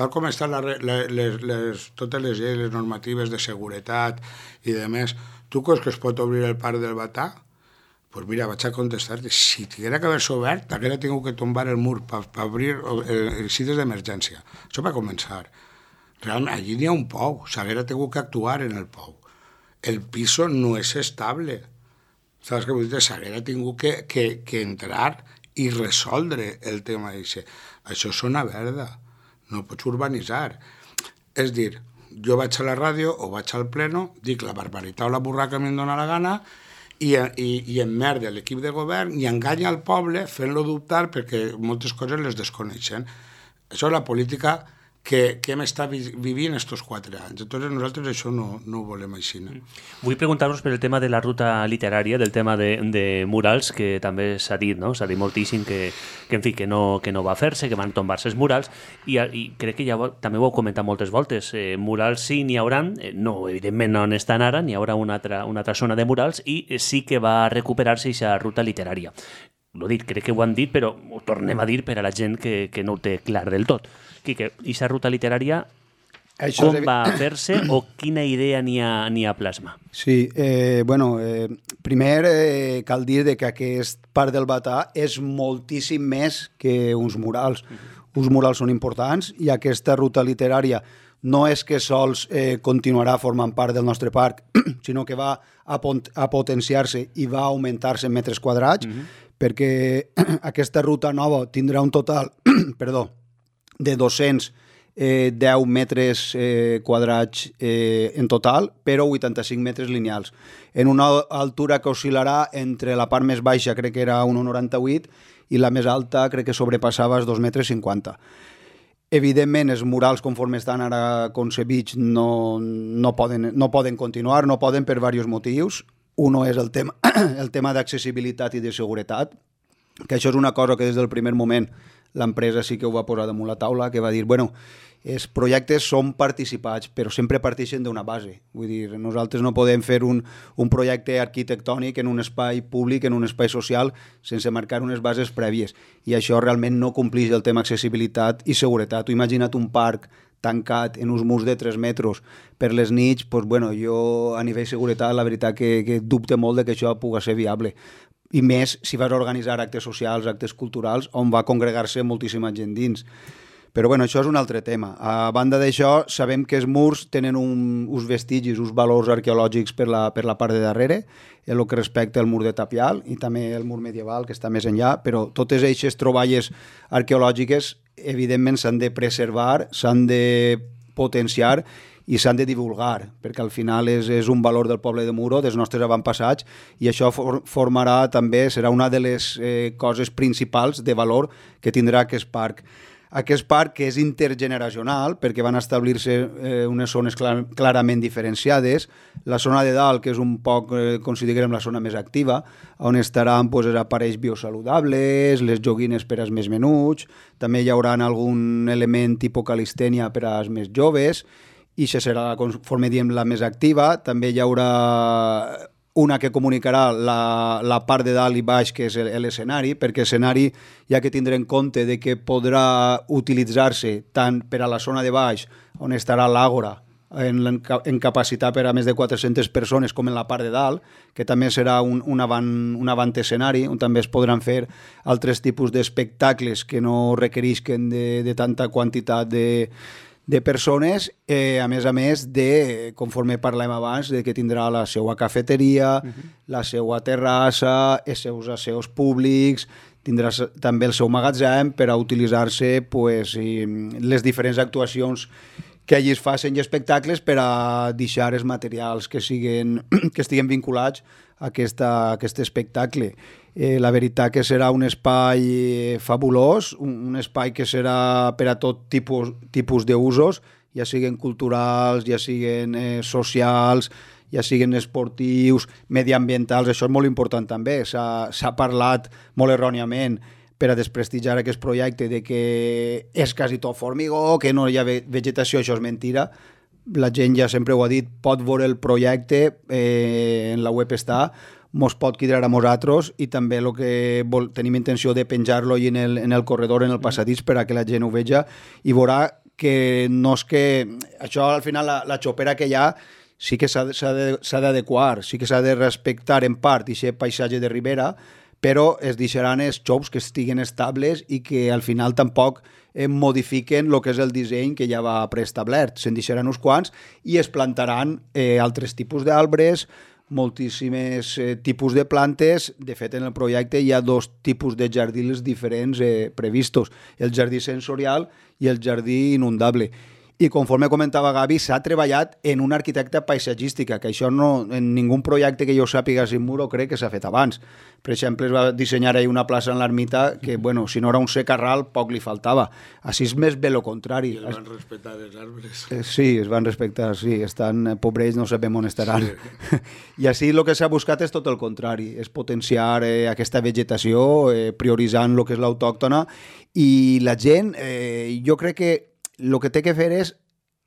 Tal com estan la, la, les, les, totes les lleis, les normatives de seguretat i de més, tu creus que es pot obrir el Parc del Batà? Pues mira, vaig a contestar-te, si tinguera que haver-se obert, haguera tingut que tombar el mur per pa obrir eh, cites d'emergència. Això va començar. Realment, allí n'hi ha un pou, s'haguera tingut que actuar en el pou. El piso no és estable. Saps què vull dir? S'haguera tingut que, que, que entrar i resoldre el tema d'això. Això és una verda, no pots urbanitzar. És dir, jo vaig a la ràdio o vaig al pleno, dic la barbaritat o la burraca que em dóna la gana, i, i, i emmerde l'equip de govern i enganya el poble fent-lo dubtar perquè moltes coses les desconeixen. Això és la política que, que hem estat vivint estos quatre anys. Entonces nosaltres això no, no ho volem així. No? Vull preguntar-vos per el tema de la ruta literària, del tema de, de murals, que també s'ha dit, no? S'ha dit moltíssim que, que, en fi, que, no, que no va fer-se, que van tombar-se els murals, i, i crec que ja ho, també ho heu comentat moltes voltes. Eh, murals sí n'hi haurà, eh, no, evidentment no n'estan ara, n'hi haurà una altra, una altra zona de murals, i eh, sí que va recuperar-se aquesta ruta literària. L'ho dit, crec que ho han dit, però ho tornem a dir per a la gent que, que no ho té clar del tot. Quique, aquesta ruta literària, això com va fer-se o quina idea n'hi ha, n'hi ha plasma? Sí, eh, bueno, eh, primer eh, cal dir de que aquest Parc del Batà és moltíssim més que uns murals. Uh-huh. Uns murals són importants i aquesta ruta literària no és que sols eh, continuarà formant part del nostre parc, sinó que va a, pont- a potenciar-se i va a augmentar-se en metres quadrats, uh-huh. perquè aquesta ruta nova tindrà un total perdó, de dos-cents deu metres eh, quadrats eh, en total, però vuitanta-cinc metres lineals, en una altura que oscil·larà entre la part més baixa, crec que era un coma noranta-vuit, i la més alta crec que sobrepassava els dos metres cinquanta. Evidentment, els murals, conforme estan ara concebits, no, no, poden, no poden continuar, no poden per diversos motius. Uno és el tema, el tema d'accessibilitat i de seguretat, que això és una cosa que des del primer moment l'empresa sí que ho va posar damunt la taula, que va dir, bueno, els projectes són participats, però sempre parteixen d'una base. Vull dir, nosaltres no podem fer un, un projecte arquitectònic en un espai públic, en un espai social, sense marcar unes bases prèvies. I això realment no complix el tema accessibilitat i seguretat. Tu imagina't un parc tancat en uns murs de tres metres per les nits, doncs, bueno, jo a nivell de seguretat la veritat que, que dubte molt de que això pugui ser viable. I més si vas organitzar actes socials, actes culturals, on va congregar-se moltíssima gent dins. Però bueno, això és un altre tema. A banda d'això, sabem que els murs tenen un, uns vestigis, uns valors arqueològics per la, per la part de darrere, en el que respecta al mur de Tapial i també el mur medieval, que està més enllà, però totes aquestes troballes arqueològiques, evidentment, s'han de preservar, s'han de potenciar i s'han de divulgar, perquè al final és, és un valor del poble de Muro, dels nostres avantpassats, i això for, formarà també, serà una de les eh, coses principals de valor que tindrà aquest parc. Aquest parc, que és intergeneracional, perquè van establir-se eh, unes zones clar, clarament diferenciades, la zona de dalt, que és un poc, eh, considerem la zona més activa, on estaran pues, els aparells biosaludables, les joguines per als més menuts, també hi haurà algun element tipus calistènia per als més joves, i això serà, conforme diem, la més activa. També hi haurà una que comunicarà la, la part de dalt i baix, que és l'escenari, perquè l'escenari hi ha que tindre en compte de que podrà utilitzar-se tant per a la zona de baix, on estarà l'àgora, en, en capacitat per a més de quatre-centes persones, com en la part de dalt, que també serà un, un, avant, un avant escenari, on també es podran fer altres tipus d'espectacles que no requerisquen de, de tanta quantitat de de persones, eh, a més a més de, conforme parlem abans, de que tindrà la seva cafeteria, uh-huh. la seva terrassa, els seus asseus públics, tindrà també el seu magatzem per a utilitzar-se pues, i, les diferents actuacions que allí es facin i espectacles per a deixar els materials que, siguen, que estiguen vinculats a, aquesta, a aquest espectacle. Eh, la veritat que serà un espai fabulós, un, un espai que serà per a tot tipus, tipus d'usos, ja siguin culturals, ja siguin eh, socials, ja siguin esportius, mediambientals. Això és molt important també. S'ha parlat molt erròniament per a desprestigiar aquest projecte de que és quasi tot formigó, que no hi ha vegetació. Això és mentira. La gent ja sempre ho ha dit, pot veure el projecte, eh, en la web està, mos pot quedar a nosaltres, i també el que vol, tenim intenció de penjar-lo en el, en el corredor, en el passadís, per a que la gent ho veja i veurà que no és que... Això, al final, la, la xopera que hi ha sí que s'ha d'adequar, sí que s'ha de respectar en part aquest paisatge de ribera, però es deixaran els xops que estiguen estables i que al final tampoc eh, modifiquen el que és el disseny que ja va preestablert. Se'n deixaran uns quants i es plantaran eh, altres tipus d'arbres, moltíssims eh, tipus de plantes. De fet, en el projecte hi ha dos tipus de jardins diferents eh, previstos, el jardí sensorial i el jardí inundable. I conforme comentava Gavi, s'ha treballat en una arquitecta paisatgística, que això no, en ningú projecte que jo sàpiga sin Muro crec que s'ha fet abans. Per exemple, es va dissenyar ahir una plaça en l'ermita que, bueno, si no era un secarral, poc li faltava. Així és més bé lo contrari. I es van respectar els arbres. Eh, sí, es van respectar, sí. Estan, pobres, no sabem on estaran. Sí. I així el que s'ha buscat és tot el contrari, és potenciar eh, aquesta vegetació, eh, prioritzant el que és l'autòctona, i la gent, eh, jo crec que el que té que fer és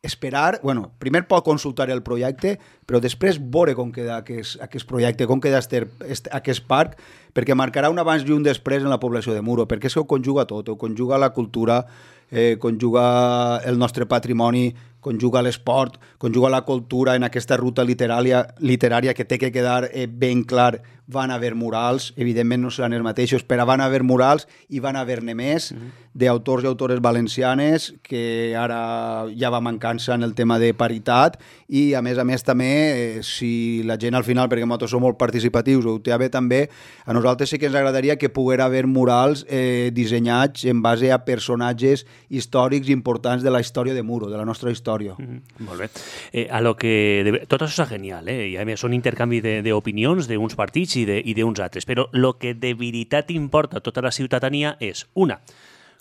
esperar, bueno, primer pot consultar el projecte, però després veure com queda aquest, aquest projecte, com queda este, este, aquest parc, perquè marcarà un abans i un després en la població de Muro, perquè és que ho conjuga tot, ho conjuga la cultura, eh, conjuga el nostre patrimoni, conjuga l'esport, conjuga la cultura en aquesta ruta literària, literària que té que quedar eh, ben clar. Van haver murals, evidentment no seran els mateixos, però van haver murals i van haver-ne més uh-huh. d'autors i autores valencianes, que ara ja va mancança en el tema de paritat, i a més a més també, eh, si la gent al final, perquè nosaltres som molt participatius, ho té a bé també, a nosaltres sí que ens agradaria que poguera haver murals eh, dissenyats en base a personatges històrics importants de la història de Muro, de la nostra història. Mm-hmm. Molt bé. Eh, a lo que de... Tot això és genial, eh? I a més són intercanvi d'opinions d'uns partits i d'uns altres, però el que de veritat importa a tota la ciutadania és, una,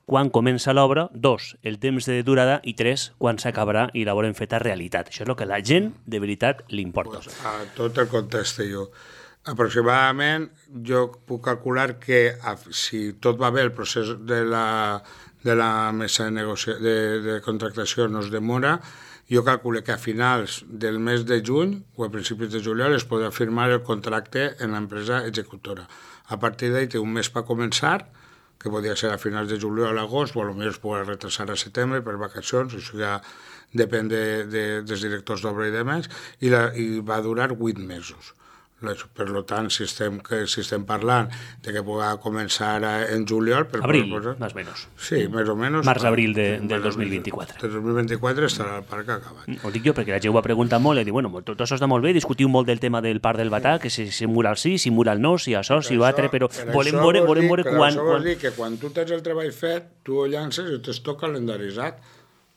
quan comença l'obra, dos, el temps de durada, i tres, quan s'acabarà i la volem feta realitat. Això és el que a la gent de veritat li importa. Pues a tot el contexte jo. Aproximadament jo puc calcular que si tot va bé el procés de la, de la mesa de, negocia... de, de contractació no es demora, jo calculo que a finals del mes de juny o a principis de juliol es podrà firmar el contracte en l'empresa executora. A partir d'ahí té un mes per començar, que podria ser a finals de juliol o agost, o potser es podrà retrasar a setembre per vacacions, això ja depèn de, de, dels directors d'obra i demés, i, la, i va durar vuit mesos. Per tant, si estem, si estem parlant de que pugui començar en juliol... Per Abril, posar... més o menys. Sí, més o menys. Març-abril de, del dos mil vint-i-quatre. Del dos mil vint-i-quatre estarà el parc acabat. Ho dic jo perquè la gent ho ha preguntat molt i diu, bueno, tot això està molt bé, discutiu molt del tema del parc del Batà, que si, si mural sí, si mural no, si això, si l'altre, però volem veure, volem veure quan... Per això vols dir que quan tu tens el treball fet, tu ho llances i t'es tot calendaritzat.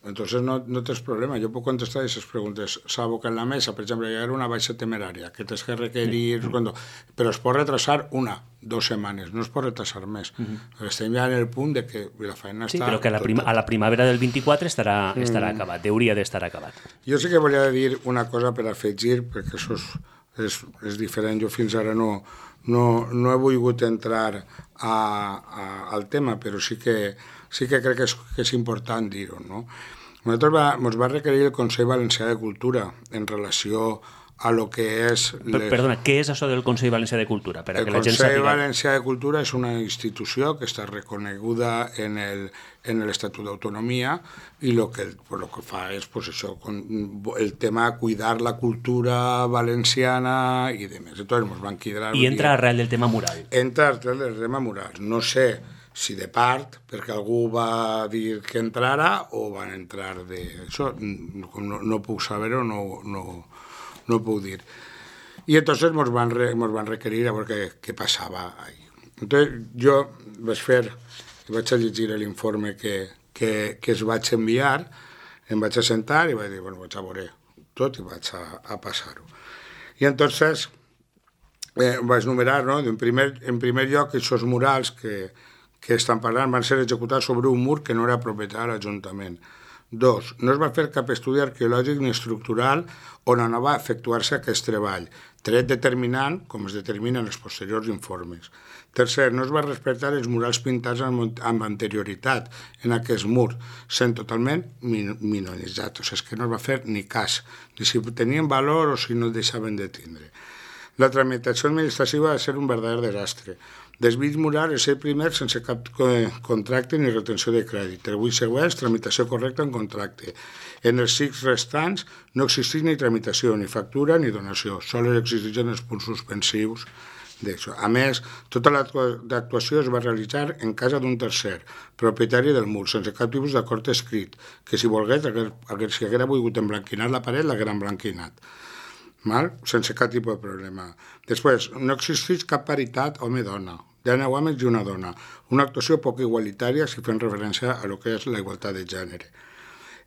Entonces no, no tens problema, jo puc contestar aquestes preguntes, salvo que en la mesa, per exemple, hi ha una baixa temerària, que tens que requerir, mm. però es pot retrasar una, dues setmanes, no es pot retrasar més. Mm -hmm. Estem ja en el punt de que la feina sí, està... Sí, però que a la, prima, a la primavera del vint-i-quatre estarà, estarà mm. acabat, hauria d'estar acabat. Jo sí que volia dir una cosa per afegir, perquè això és, és, és diferent, jo fins ara no, no, no he volgut entrar a, a, al tema, però sí que sí que crec que és, que és important dir-ho, no? Nosaltres va, ens va requerir el Consell Valencià de Cultura en relació a lo que és... Les... Perdona, què és això del Consell Valencià de Cultura? Per a el que la gent Consell sàpiga... Valencià de Cultura és una institució que està reconeguda en el en l'Estatut d'Autonomia i el que, pues, lo que fa és pues, això, con, el tema de cuidar la cultura valenciana i demés. Entonces, ens van quedar... I entra arrel del tema mural. Entra arrel del tema mural. No sé si de part, perquè algú va dir que entrara, o van entrar de... Això no, no puc saber-ho, no, no, no ho puc dir. I entonces ens van, re, ens van requerir a veure què, què passava ahí. Entonces jo vaig fer, vaig a llegir l'informe que, que, que es vaig enviar, em vaig assentar i vaig dir, bueno, vaig a veure tot i vaig a, a passar-ho. I entonces eh, vaig numerar, no? En primer, en primer lloc, aquests murals que que estan parlant van ser executats sobre un mur que no era propietat de l'Ajuntament. Dos, no es va fer cap estudi arqueològic ni estructural on no va efectuar-se aquest treball, tret determinant, com es determina en els posteriors informes. Tercer, no es va respectar els murals pintats amb, amb anterioritat en aquest mur, sent totalment min minoritzats. O sigui, és que no es va fer ni cas, ni si tenien valor o si no el deixaven de tindre. La tramitació administrativa va ser un verdader desastre. Dels vint murals, és el primer sense cap contracte ni retenció de crèdit. Els vuit següents, tramitació correcta en contracte. En els sis restants no existeix ni tramitació, ni factura, ni donació. Sols existeixen els punts suspensius d'això. A més, tota l'actuació es va realitzar en casa d'un tercer, propietari del mur, sense cap tipus d'acord escrit, que si volgués, si haguera volgut emblanquinar la paret, l'haguera emblanquinat. Mal? Sense cap tipus de problema. Després, no existeix cap paritat home-dona. Hi ha nou homes i una dona. Una actuació poc igualitària si fem referència a lo que és la igualtat de gènere.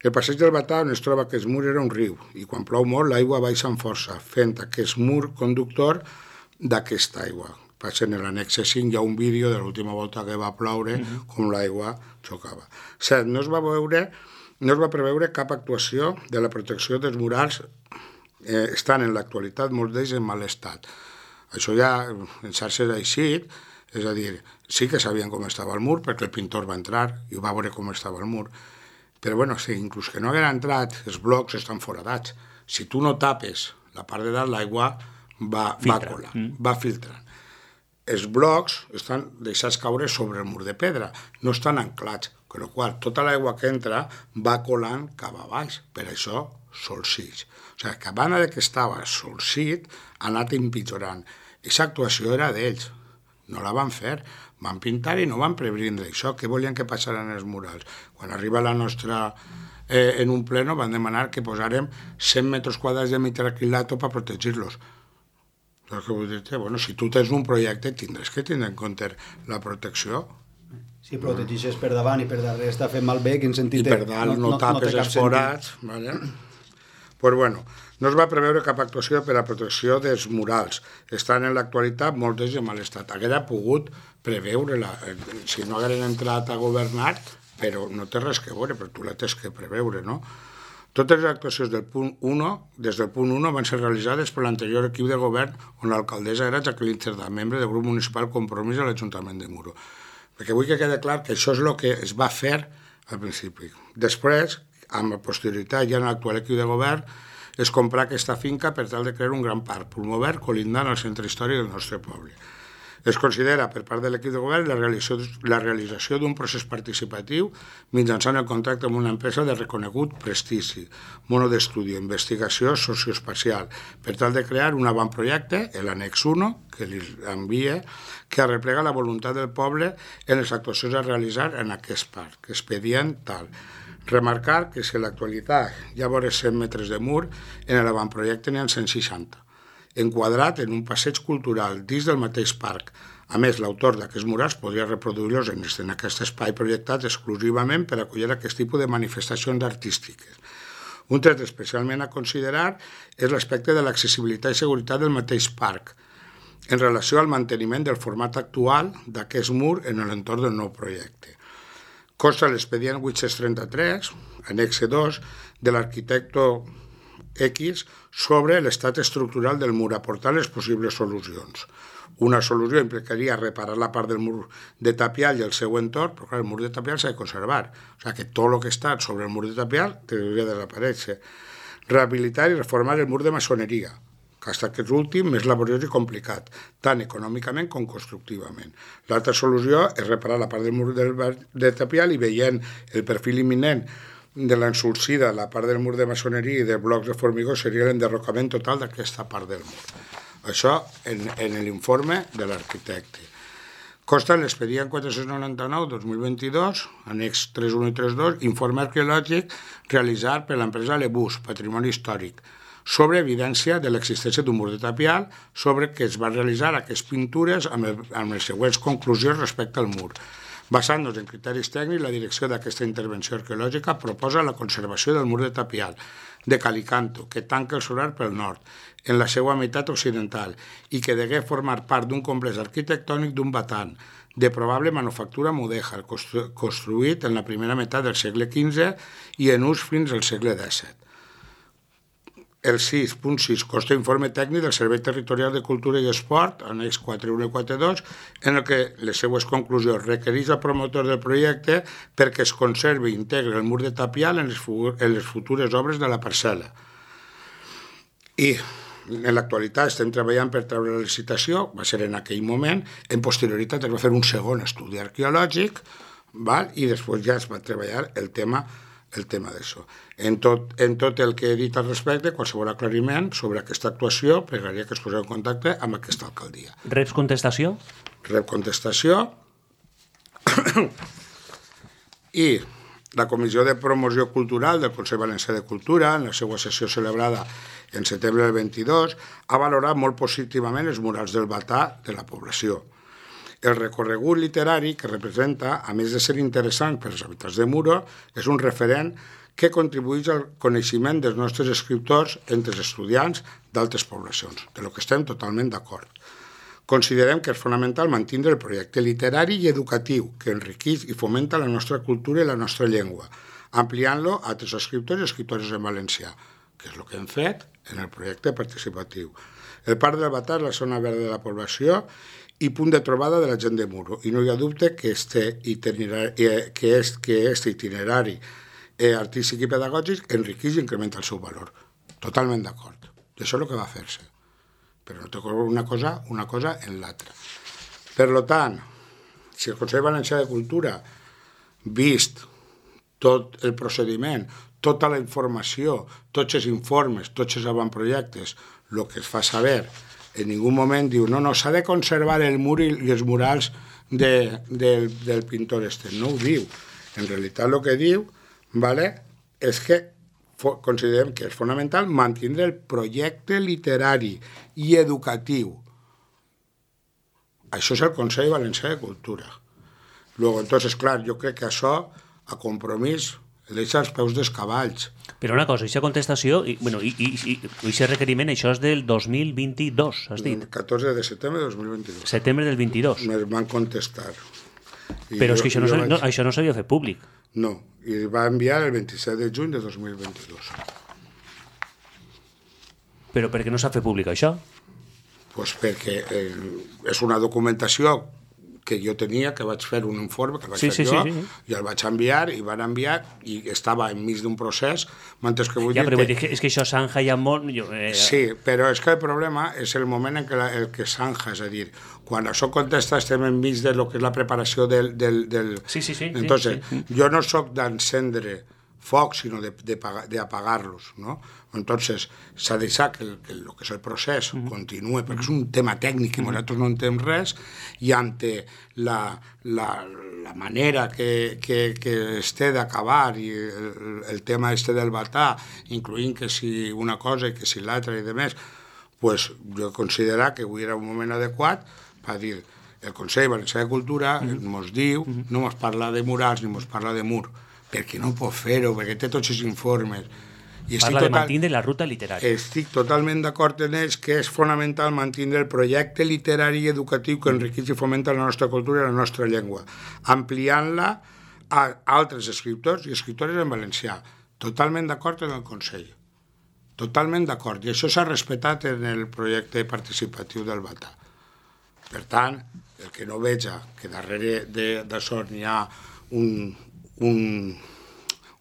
El passeig del Batà on es troba aquest mur era un riu i quan plou molt l'aigua baixa amb força, fent aquest mur conductor d'aquesta aigua. En l'annexe cinc hi ha un vídeo de l'última volta que va ploure uh-huh. com l'aigua xocava. Set, no es va veure, no es va preveure cap actuació de la protecció dels murals eh, estan en l'actualitat molts d'ells en mal estat. Això ja en xarxes ha eixit, és a dir, sí que sabien com estava el mur perquè el pintor va entrar i va veure com estava el mur, però bueno, sí, inclús que no haguera entrat, els blocs estan foradats. Si tu no tapes la part de dalt, l'aigua va, va colar, mm. va filtrant. Els blocs estan deixats caure sobre el mur de pedra, no estan anclats, amb la qual tota l'aigua que entra va colant cap a baix, per això solcits. O sigui, que a banda que estava solcit, ha anat empitjorant. Aquesta actuació era d'ells, no la van fer, van pintar i no van prevenir això, què volien que passaran els murals. Quan arriba la nostra, eh, en un pleno van demanar que posarem cent metres quadrats de mitraquilato per protegir-los. Que vull dir-te, bueno, si tu tens un projecte tindràs que tindre en compte la protecció. Si protegeixes per davant i per darrere està fent malbé, quin sentit té? I per dalt no, no tapes no els forats, vale? Pues bueno, no es va preveure cap actuació per a protecció dels murals. Estan en l'actualitat molts d'ells en mal estat. Haguera pogut preveure-la, si no hagueren entrat a governar, però no té res que veure, però tu la tens que preveure, no? Totes les actuacions del punt u, des del punt u, van ser realitzades per l'anterior equip de govern on l'alcaldessa era Jacqueline Cerdà, membre del grup municipal Compromís a l'Ajuntament de Muro. Perquè vull que quede clar que això és el que es va fer al principi. Després, amb la posterioritat ja en l'actual equip de govern, és comprar aquesta finca per tal de crear un gran parc pulmó verd colindant al centre històric del nostre poble. Es considera per part de l'equip de govern la realització, la realització d'un procés participatiu mitjançant el contracte amb una empresa de reconegut prestigi, mono d'estudi, investigació socioespacial, per tal de crear un avantprojecte, l'annex u, que li envia, que arreplega la voluntat del poble en les actuacions a realitzar en aquest parc, expedient tal. Remarcar que si en l'actualitat hi ha vora cent metres de mur, en l'avantprojecte n'hi ha cent seixanta. Enquadrat en un passeig cultural dins del mateix parc. A més, l'autor d'aquests murals podria reproduir-los en aquest espai projectat exclusivament per acollir aquest tipus de manifestacions artístiques. Un tret especialment a considerar és l'aspecte de l'accessibilitat i seguretat del mateix parc, en relació al manteniment del format actual d'aquest mur en l'entorn del nou projecte. Consta l'expedient vuit-cents trenta-tres, annexe dos, de l'arquitecte X sobre l'estat estructural del mur, aportant les possibles solucions. Una solució implicaria reparar la part del mur de tapial i el seu entorn, però clar, el mur de tapial s'ha de conservar. O sigui que tot el que està sobre el mur de tapial hauria de desaparèixer. Rehabilitar i reformar el mur de maçoneria, que ha estat aquest últim més laboriós i complicat, tant econòmicament com constructivament. L'altra solució és reparar la part del mur de tapial i veient el perfil imminent de l'ensulsida, la part del mur de maçoneria i de blocs de formigó seria l'enderrocament total d'aquesta part del mur. Això en, en l'informe de l'arquitecte. Consta en l'expedient quatre-cents noranta-nou dos mil vint-i-dos, annex tres un i tres dos, informe arqueològic realitzat per l'empresa Lebús, Patrimoni Històric, sobre evidència de l'existència d'un mur de tapial, sobre que es van realitzar aquestes pintures amb, el, amb les següents conclusions respecte al mur. Basant-nos en criteris tècnics, la direcció d'aquesta intervenció arqueològica proposa la conservació del mur de tapial de Calicanto, que tanca el solar pel nord, en la seva meitat occidental, i que degué formar part d'un complex arquitectònic d'un batant, de probable manufactura mudèjar, constru construït en la primera meitat del segle quinze i en ús fins al segle disset. El sis punt sis consta informe tècnic del Servei Territorial de Cultura i Esport, annex quatre un i quatre dos, en el que les seues conclusions requereix al promotor del projecte perquè es conservi i integri el mur de tapial en les, en les futures obres de la parcel·la. I en l'actualitat estem treballant per treure la licitació, va ser en aquell moment, en posterioritat es va fer un segon estudi arqueològic, val? I després ja es va treballar el tema el tema d'això. En tot, en tot el que he dit al respecte, qualsevol aclariment sobre aquesta actuació, pregaria que es poseu en contacte amb aquesta alcaldia. Reps contestació? Rep contestació. I la Comissió de Promoció Cultural del Consell Valencià de Cultura, en la seva sessió celebrada en setembre del vint-i-dos, ha valorat molt positivament els murals del batà de la població. El recorregut literari que representa, a més de ser interessant per als habitants de Muro, és un referent que contribueix al coneixement dels nostres escriptors entre els estudiants d'altres poblacions, de lo que estem totalment d'acord. Considerem que és fonamental mantenir el projecte literari i educatiu que enriqueix i fomenta la nostra cultura i la nostra llengua, ampliant-lo a altres escriptors i escriptores en valencià, que és el que hem fet en el projecte participatiu. El Parc del Batà és la zona verda de la població i punt de trobada de la gent de Muro. I no hi ha dubte que este itinerari, que est, que este itinerari eh, artístic i pedagògic enriqueix i incrementa el seu valor. Totalment d'acord. I això és el que va fer-se. Però no té una cosa, una cosa en l'altra. Per tant, si el Consell Valencià de Cultura, vist tot el procediment, tota la informació, tots els informes, tots els avantprojectes, el que es fa saber, en ningú moment diu, no, no, s'ha de conservar el mur i els murals de, de, del pintor este. No ho diu. En realitat el que diu, vale, és que considerem que és fonamental mantenir el projecte literari i educatiu. Això és el Consell Valencià de Cultura. Luego, entonces, clar, jo crec que això, a compromís, deixa els peus dels cavalls. Però una cosa, aquesta contestació, i, bueno, i, i, i aquest requeriment, això és del dos mil vint-i-dos, has dit? catorze de setembre de dos mil vint-i-dos. Setembre del vint-i-dos. Me van contestar. I Però jo, és que això no, vaig... no, això no s'havia fet públic. No, i va enviar el vint-i-set de juny de dos mil vint-i-dos. Però per què no s'ha fet públic això? Pues perquè eh, és una documentació que jo tenia, que vaig fer un informe, que vaig sí, fer sí, jo, sí, sí. i el vaig enviar, i van enviar, i estava enmig d'un procés, mentre que vull ja, dir però que... vull dir que... És que això Sanja ja molt... Jo, eh... Sí, però és que el problema és el moment en què la, el que Sanja, és a dir, quan això contesta estem enmig de lo que és la preparació del... del, del... Sí, sí, sí. Entonces, sí, sí. jo no sóc d'encendre focs, sinó de, de, de apagar-los, ¿no? Entonces, s'ha de deixar que el que, el que és el procés uh -huh. continue, perquè és un tema tècnic i nosaltres no entenem res, i ante la, la, la manera que, que, que es té d'acabar i el, el tema este del batà, incloent que si una cosa i que si l'altra i demés, pues, jo considero que avui era un moment adequat per dir el Consell Valencià de Cultura ens uh -huh. diu, uh -huh. no ens parla de murals ni ens parla de mur, perquè no pot fer-ho, perquè té tots els informes. I parla total... de mantindre la ruta literària. Estic totalment d'acord en ells que és fonamental mantindre el projecte literari i educatiu que enriqueix i fomenta la nostra cultura i la nostra llengua, ampliant-la a altres escriptors i escriptores en valencià. Totalment d'acord en el Consell. Totalment d'acord. I això s'ha respectat en el projecte participatiu del batà. Per tant, el que no veja que darrere d'això n'hi ha un... Un,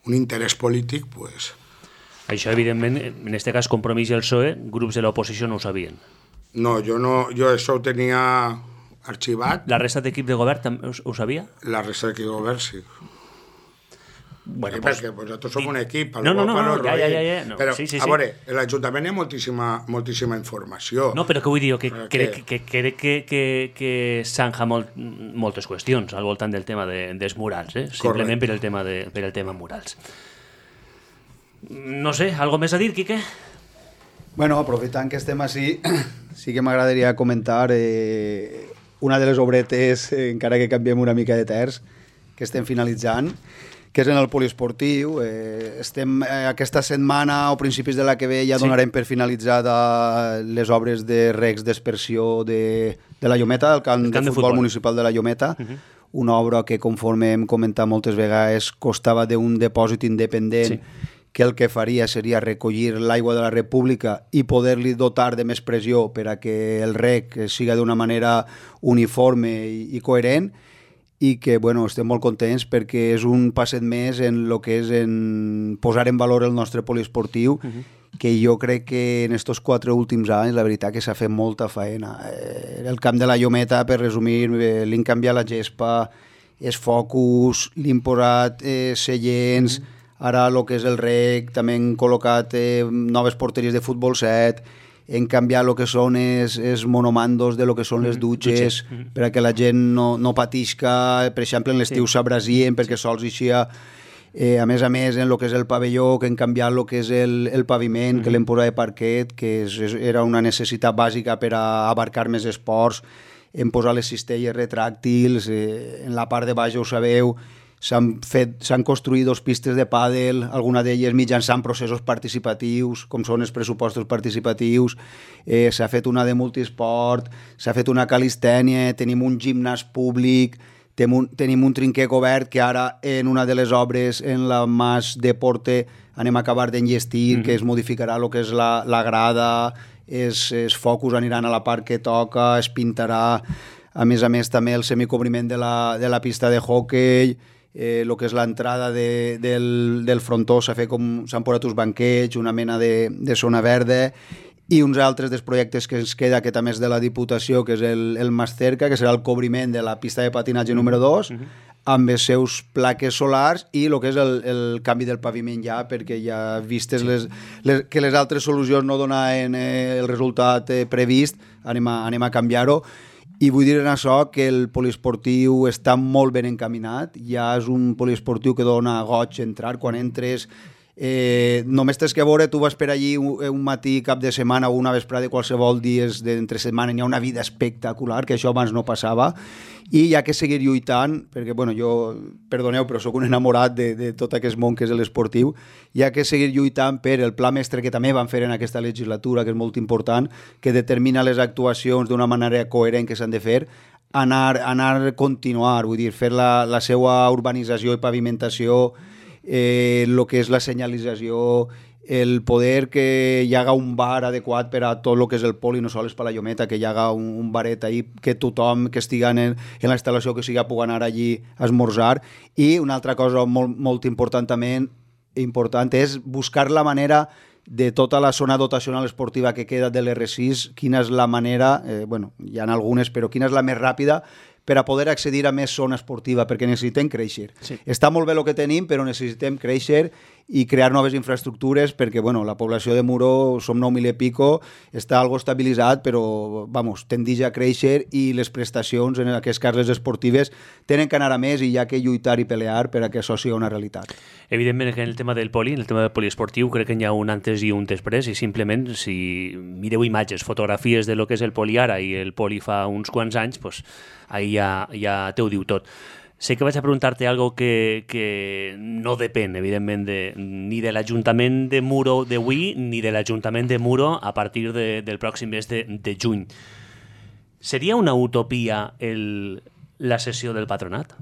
un interès polític, pues... Això, evidentment, en aquest cas, Compromís i el P S O E, grups de l'oposició no ho sabien. No, jo no, jo això ho tenia arxivat. La resta d'equip de govern també ho, ho sabia? La resta d'equip de govern, sí. Bueno, eh, pues, perquè pues, nosaltres som un equip. No, no, no, no, ja, ja, ja, ja. No. Però, sí, sí, sí. a veure, a l'Ajuntament hi ha moltíssima, moltíssima informació. No, però que vull dir, que que... crec que, que, que, que, que s'anja molt, moltes qüestions al voltant del tema de, dels murals, eh? Simplement per el, tema de, per el tema murals. No sé, algo més a dir, Quique? Bueno, aprofitant que estem així, sí que m'agradaria comentar eh, una de les obretes, eh, encara que canviem una mica de terç, que estem finalitzant, que és en el poliesportiu. Eh, estem eh, aquesta setmana o principis de la que ve ja donarem sí. per finalitzada les obres de regs d'aspersió de, de la Llometa, del camp, el camp de, de futbol, futbol municipal de la Llometa, uh -huh. una obra que, conforme hem comentat moltes vegades, costava d'un depòsit independent, sí. que el que faria seria recollir l'aigua de la República i poder-li dotar de més pressió per a que el reg siga d'una manera uniforme i, i coherent, i que bueno, estem molt contents perquè és un passet més en el que és en posar en valor el nostre poliesportiu, uh-huh. que jo crec que en estos quatre últims anys la veritat que s'ha fet molta faena. Eh, el camp de la Llometa, per resumir, eh, li han canviat la gespa, els focus, li han posat eh, seients, uh-huh. ara el que és el rec, també han col·locat eh, noves porteries de futbol set, en canviar el que són els, els monomandos de lo que són les dutxes, mm -hmm. perquè la gent no, no patisca, per exemple, en l'estiu sí. s'abrasien perquè sí. sols eixia. Eh, a més a més, en el que és el pavelló, que han canviat el que és el, el paviment, mm -hmm. que l'hem posat de parquet, que és, és, era una necessitat bàsica per a abarcar més esports, hem posat les cistelles retràctils, eh, en la part de baix, ho sabeu, s'han fet, s'han construït dos pistes de pàdel, alguna d'elles mitjançant processos participatius, com són els pressupostos participatius, eh, s'ha fet una de multisport, s'ha fet una calistènia, tenim un gimnàs públic, tenim un, tenim un trinquer obert que ara en una de les obres, en la Mas Deporte, anem a acabar d'enllestir, mm-hmm. que es modificarà el que és la, la grada, els, els focus aniran a la part que toca, es pintarà, a més a més també el semicobriment de la, de la pista de hoquei, el eh, que és l'entrada de, del, del frontó s'ha fet com s'han posat uns banquets, una mena de, de zona verda, i uns altres dels projectes que ens queda, que també és de la Diputació, que és el, el Mas Cerca, que serà el cobriment de la pista de patinatge número dos, mm-hmm. amb els seus plaques solars i el que és el, el canvi del paviment ja, perquè ja vistes les, les, que les altres solucions no donaven eh, el resultat eh, previst, anem a, anem a canviar-ho. I vull dir en això que el poliesportiu està molt ben encaminat, ja és un poliesportiu que dona goig entrar, quan entres eh, només tens que veure, tu vas per allí un, un matí, cap de setmana o una vesprada de qualsevol dies d'entre setmana, hi ha una vida espectacular, que això abans no passava, i hi ha que seguir lluitant, perquè bueno, jo, perdoneu, però sóc un enamorat de, de tot aquest món que és l'esportiu, hi ha que seguir lluitant per el pla mestre que també van fer en aquesta legislatura, que és molt important, que determina les actuacions d'una manera coherent que s'han de fer, anar, anar a continuar, vull dir, fer la, la seva urbanització i pavimentació, el eh, que és la senyalització, el poder que hi haga un bar adequat per a tot el que és el poli, no sols per la Llometa, que hi haga un, un baret ahí, que tothom que estigui en, en la instal·lació que sigui pugui anar allí a esmorzar. I una altra cosa molt, molt important també important és buscar la manera de tota la zona dotacional esportiva que queda de l'R sis, quina és la manera, eh, bueno, hi ha algunes, però quina és la més ràpida per a poder accedir a més zona esportiva, perquè necessitem créixer. Sí. Està molt bé el que tenim, però necessitem créixer i crear noves infraestructures, perquè bueno, la població de Muro, som nou mil i pico, està algo estabilitzat, però vamos, tendeix a créixer i les prestacions en aquestes carles esportives tenen que anar a més i hi ha que lluitar i pelear per a que això sigui una realitat. Evidentment que en el tema del poli, en el tema del poliesportiu, crec que hi ha un antes i un després, i simplement si mireu imatges, fotografies de lo que és el poli ara i el poli fa uns quants anys, pues, ahí ja, ja te ho diu tot. Sé que vaig a preguntar-te algo que, que no depèn, evidentment, de, ni de l'Ajuntament de Muro d'avui ni de l'Ajuntament de Muro a partir de, del pròxim mes de, de juny. Seria una utopia el, la sessió del patronat?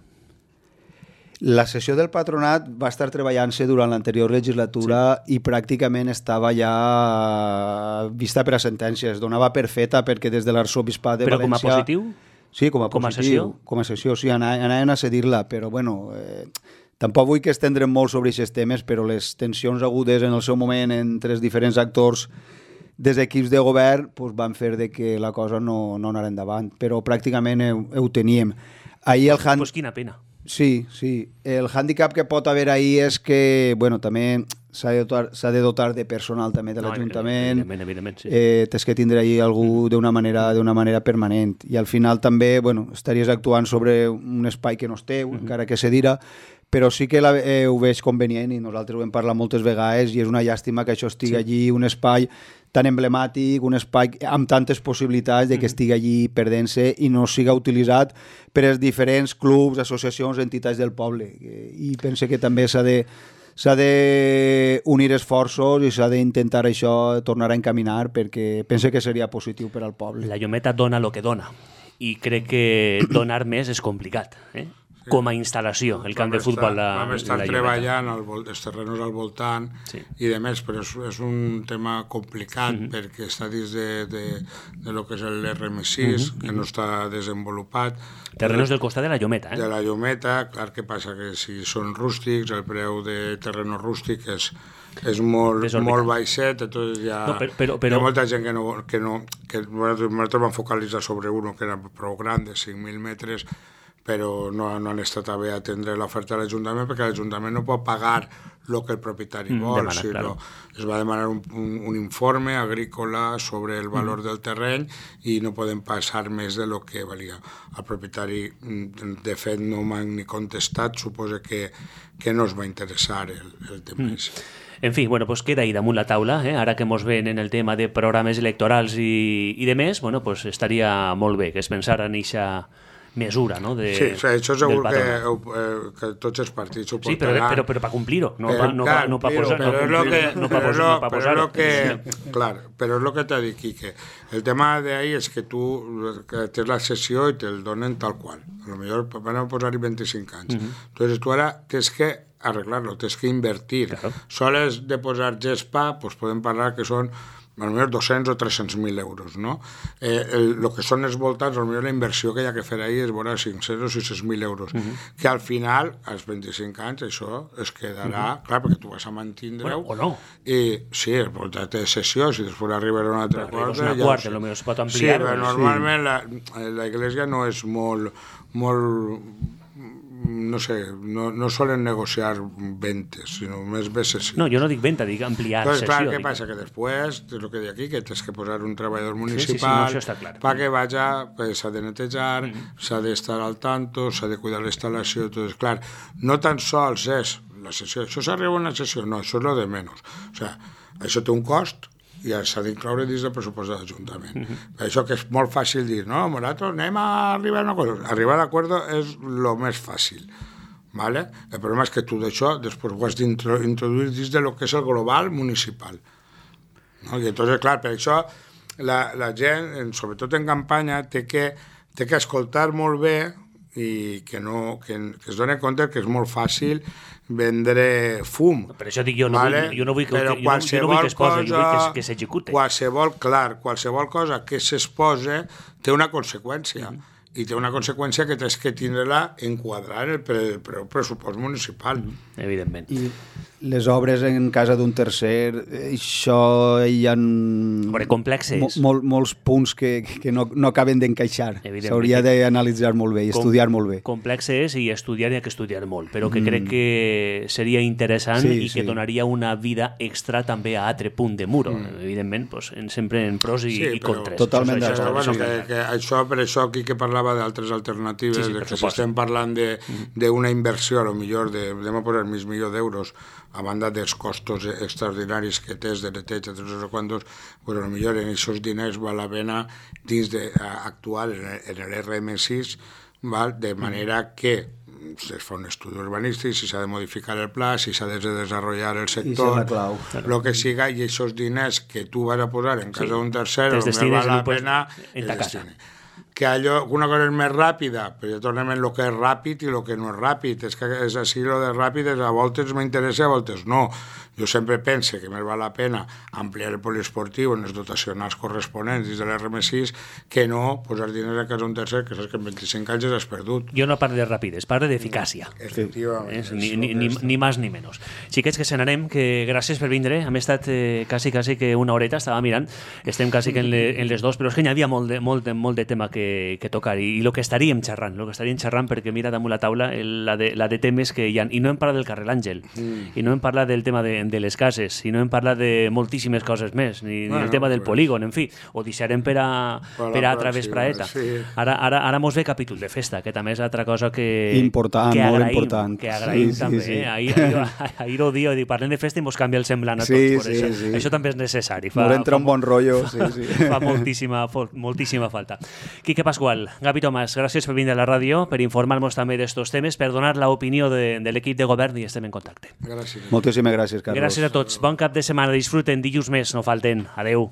La sessió del patronat va estar treballant-se durant l'anterior legislatura sí. i pràcticament estava ja vista per a sentències. Donava per feta perquè des de l'arxobisbat de Però València... Però com a positiu? Sí, com a, com a positiu, sessió? Com a sessió, sí, anaven a cedir-la, però bueno, eh, tampoc vull que estendrem molt sobre aquests temes, però les tensions agudes en el seu moment entre els diferents actors des d'equips de govern pues, van fer de que la cosa no, no anara endavant, però pràcticament ho, ho teníem. Ahir el hand... Pues quina pena. Sí, sí. El hàndicap que pot haver ahir és que, bueno, també s'ha de dotar, s'ha de dotar de personal també de l'Ajuntament. No, evidentment, evidentment, sí. Eh, tens que tindre ahir algú d'una manera, d'una manera permanent. I al final també, bueno, estaries actuant sobre un espai que no és teu, uh-huh. encara que se dirà, però sí que la, eh, ho veig convenient i nosaltres ho hem parlat moltes vegades i és una llàstima que això estigui sí. allí, un espai tan emblemàtic, un espai amb tantes possibilitats de que estigui allí perdent-se i no siga utilitzat per als diferents clubs, associacions, entitats del poble. I pense que també s'ha de s'ha d'unir esforços i s'ha d'intentar això tornar a encaminar perquè pense que seria positiu per al poble. La Llometa dona el que dona i crec que donar més és complicat, eh? Com a instal·lació, el camp de futbol la, vam estar treballant al, els terrenos al voltant sí. i de més, però és, és un tema complicat uh-huh. perquè està dins de, de, de lo que és l'R M sis, uh-huh. que no està desenvolupat. Terrenos del costat de la Llometa, eh? De la Llometa, clar que passa que si són rústics, el preu de terreno rústic és, és molt, molt baixet, entonces hi ha, no, però, però, però... hi ha molta gent que no... Que no que nosaltres vam focalitzar sobre uno que era prou gran, de cinc mil metres, però no, no han estat a bé atendre l'oferta de l'Ajuntament perquè l'Ajuntament no pot pagar el que el propietari mm, vol, demana, sinó claro. Es va demanar un, un, un informe agrícola sobre el valor mm. del terreny i no podem passar més de lo que valia. El propietari, de fet, no m'ha ni contestat, suposa que, que no es va interessar el, el tema. Mm. En fi, bueno, pues queda ahí damunt la taula, eh? Ara que mos ven en el tema de programes electorals i, i de més, bueno, pues estaria molt bé que es pensara en eixa mesura, no? De, sí, sí, això segur que, eh, que tots els partits ho portaran. Sí, però, però, però per complir-ho, no per no, clar, no pa posar... Però és el que... No pa posar, no pa posar-ho. Clar, però és el que t'ha dit, Quique. El tema d'ahir és que tu que tens la sessió i te'l donen tal qual. A lo millor van a posar-hi vint-i-cinc anys. Uh-huh. Entonces tu ara tens que arreglar-lo, tens que invertir. Claro. Soles de posar gespa, pues podem parlar que són a lo millor dos-cents o tres-cents mil euros, no? Eh, el, el que són els voltants, a lo millor la inversió que hi ha que fer ahir és vora cinc-cents o sis-cents mil euros, uh-huh. que al final, als vint-i-cinc anys, això es quedarà, uh-huh. clar, perquè tu vas a mantindre-ho. Bueno, o no. I sí, el voltat de sessió, si després arribarà una altra però quarta... Una quarta, ja, potser es pot ampliar. Sí, però normalment sí. la, la Iglesia no és molt... molt no sé, no, no solen negociar ventes, sinó més bé sessió. No, jo no dic venta, dic ampliar Entonces, sessió. Clar, què dic... passa? Que després, és el que dic aquí, que tens que posar un treballador municipal sí, sí, sí, no, això està clar. perquè vaja, pues, s'ha de netejar, mm-hmm. s'ha d'estar al tanto, s'ha de cuidar la instal·lació, tot és clar. No tan sols és la sessió, això s'arriba a una sessió, no, això és lo de menys. O sigui, això té un cost, i s'ha d'incloure dins del pressupost de l'Ajuntament. Uh-huh. Això que és molt fàcil dir, no, nosaltres anem a arribar a un acord. Arribar a l'acord és el més fàcil. ¿Vale? El problema és que tu d'això després ho has d'introduir dins de lo que és el global municipal. ¿No? I entonces, clar, per això la, la gent, sobretot en campanya, té que, té que escoltar molt bé i que, no, que, que es doni compte que és molt fàcil vendre fum. Per això dic, jo no vale? vull, jo no vull que, Però jo no, jo no vull que es posi, jo vull que, que s'execute. Qualsevol, clar, qualsevol cosa que s'exposa té una conseqüència. Mm. I té una conseqüència que tens que tindre-la enquadrar en el, pre, el, pre, el pressupost municipal. Mm. Evidentment. I les obres en casa d'un tercer, això hi ha Veure, complexes. Mo, mol, molts punts que, que no, no acaben d'encaixar. S'hauria d'analitzar molt bé i Com, estudiar molt bé. Complexes i estudiar i ha que estudiar molt, però que mm. crec que seria interessant sí, i que sí. donaria una vida extra també a altre punt de muro. Mm. Evidentment, pues, sempre en pros i, sí, i contres. Totalment això, això, bueno, que, que això, per això aquí que parlava d'altres alternatives, sí, sí, de que si estem parlant d'una mm. inversió, a lo millor, de, de posar mig milió d'euros a banda dels costos extraordinaris que tens de neteja, de tots els quantos, pues, a lo millor en aquests diners val la pena dins de, a, actuar en l'R M sis, val? De manera que es fa un estudi urbanístic, si s'ha de modificar el pla, si s'ha de desenvolupar el sector, el que siga, i aquests diners que tu vas a posar en casa sí. d'un tercer, no val la pena en ta casa. Que allò, una cosa és més ràpida, però ja tornem en el que és ràpid i el que no és ràpid. És que és així, el de ràpid, és a voltes m'interessa, a voltes no. Jo sempre pense que més val la pena ampliar el poliesportiu en les dotacionals corresponents dins de l'R M sis que no posar diners a casa un tercer, que saps que en vint-i-cinc anys has perdut. Jo no parlo de rapides, parlo d'eficàcia. Efectivament. Sí. Ni, ni, ni, ni més ni menys. Xiquets, que se n'anem, que gràcies per vindre. Hem estat eh, quasi, quasi que una horeta, estava mirant. Estem quasi que en, le, en les dos, però és que hi havia molt de, molt de, molt de tema que, que tocar i, i el que estaríem xerrant, el que estaríem xerrant, perquè mira damunt la taula el, la, de, la de temes que hi ha. I no hem parlat del carrer Àngel, mm. i no hem parlat del tema de, de les cases, i no hem parlat de moltíssimes coses més, ni, bueno, ni el tema del pues, polígon, en fi, ho deixarem per a, per a altra vespraeta. Sí. Ara, ara, ara mos ve capítol de festa, que també és altra cosa que, important, que agraïm, molt important. que agraïm sí, també. Sí, sí. Eh? Ahir, ahir, ahir ho diu, parlem de festa i mos canvia el semblant a tots, sí, per sí, això. Sí. Això també és necessari. Fa, no entra fa, un bon rotllo. Sí, sí. Fa moltíssima, moltíssima falta. Quique Pasqual, Gavi Tomàs, gràcies per vindre a la ràdio, per informar-nos també d'estos temes, per donar l'opinió de, de l'equip de govern i estem en contacte. Gràcies. Moltíssimes gràcies, Carlos. Gràcies a tots. Bon cap de setmana. Disfruten. Dilluns més, no falten. Adeu.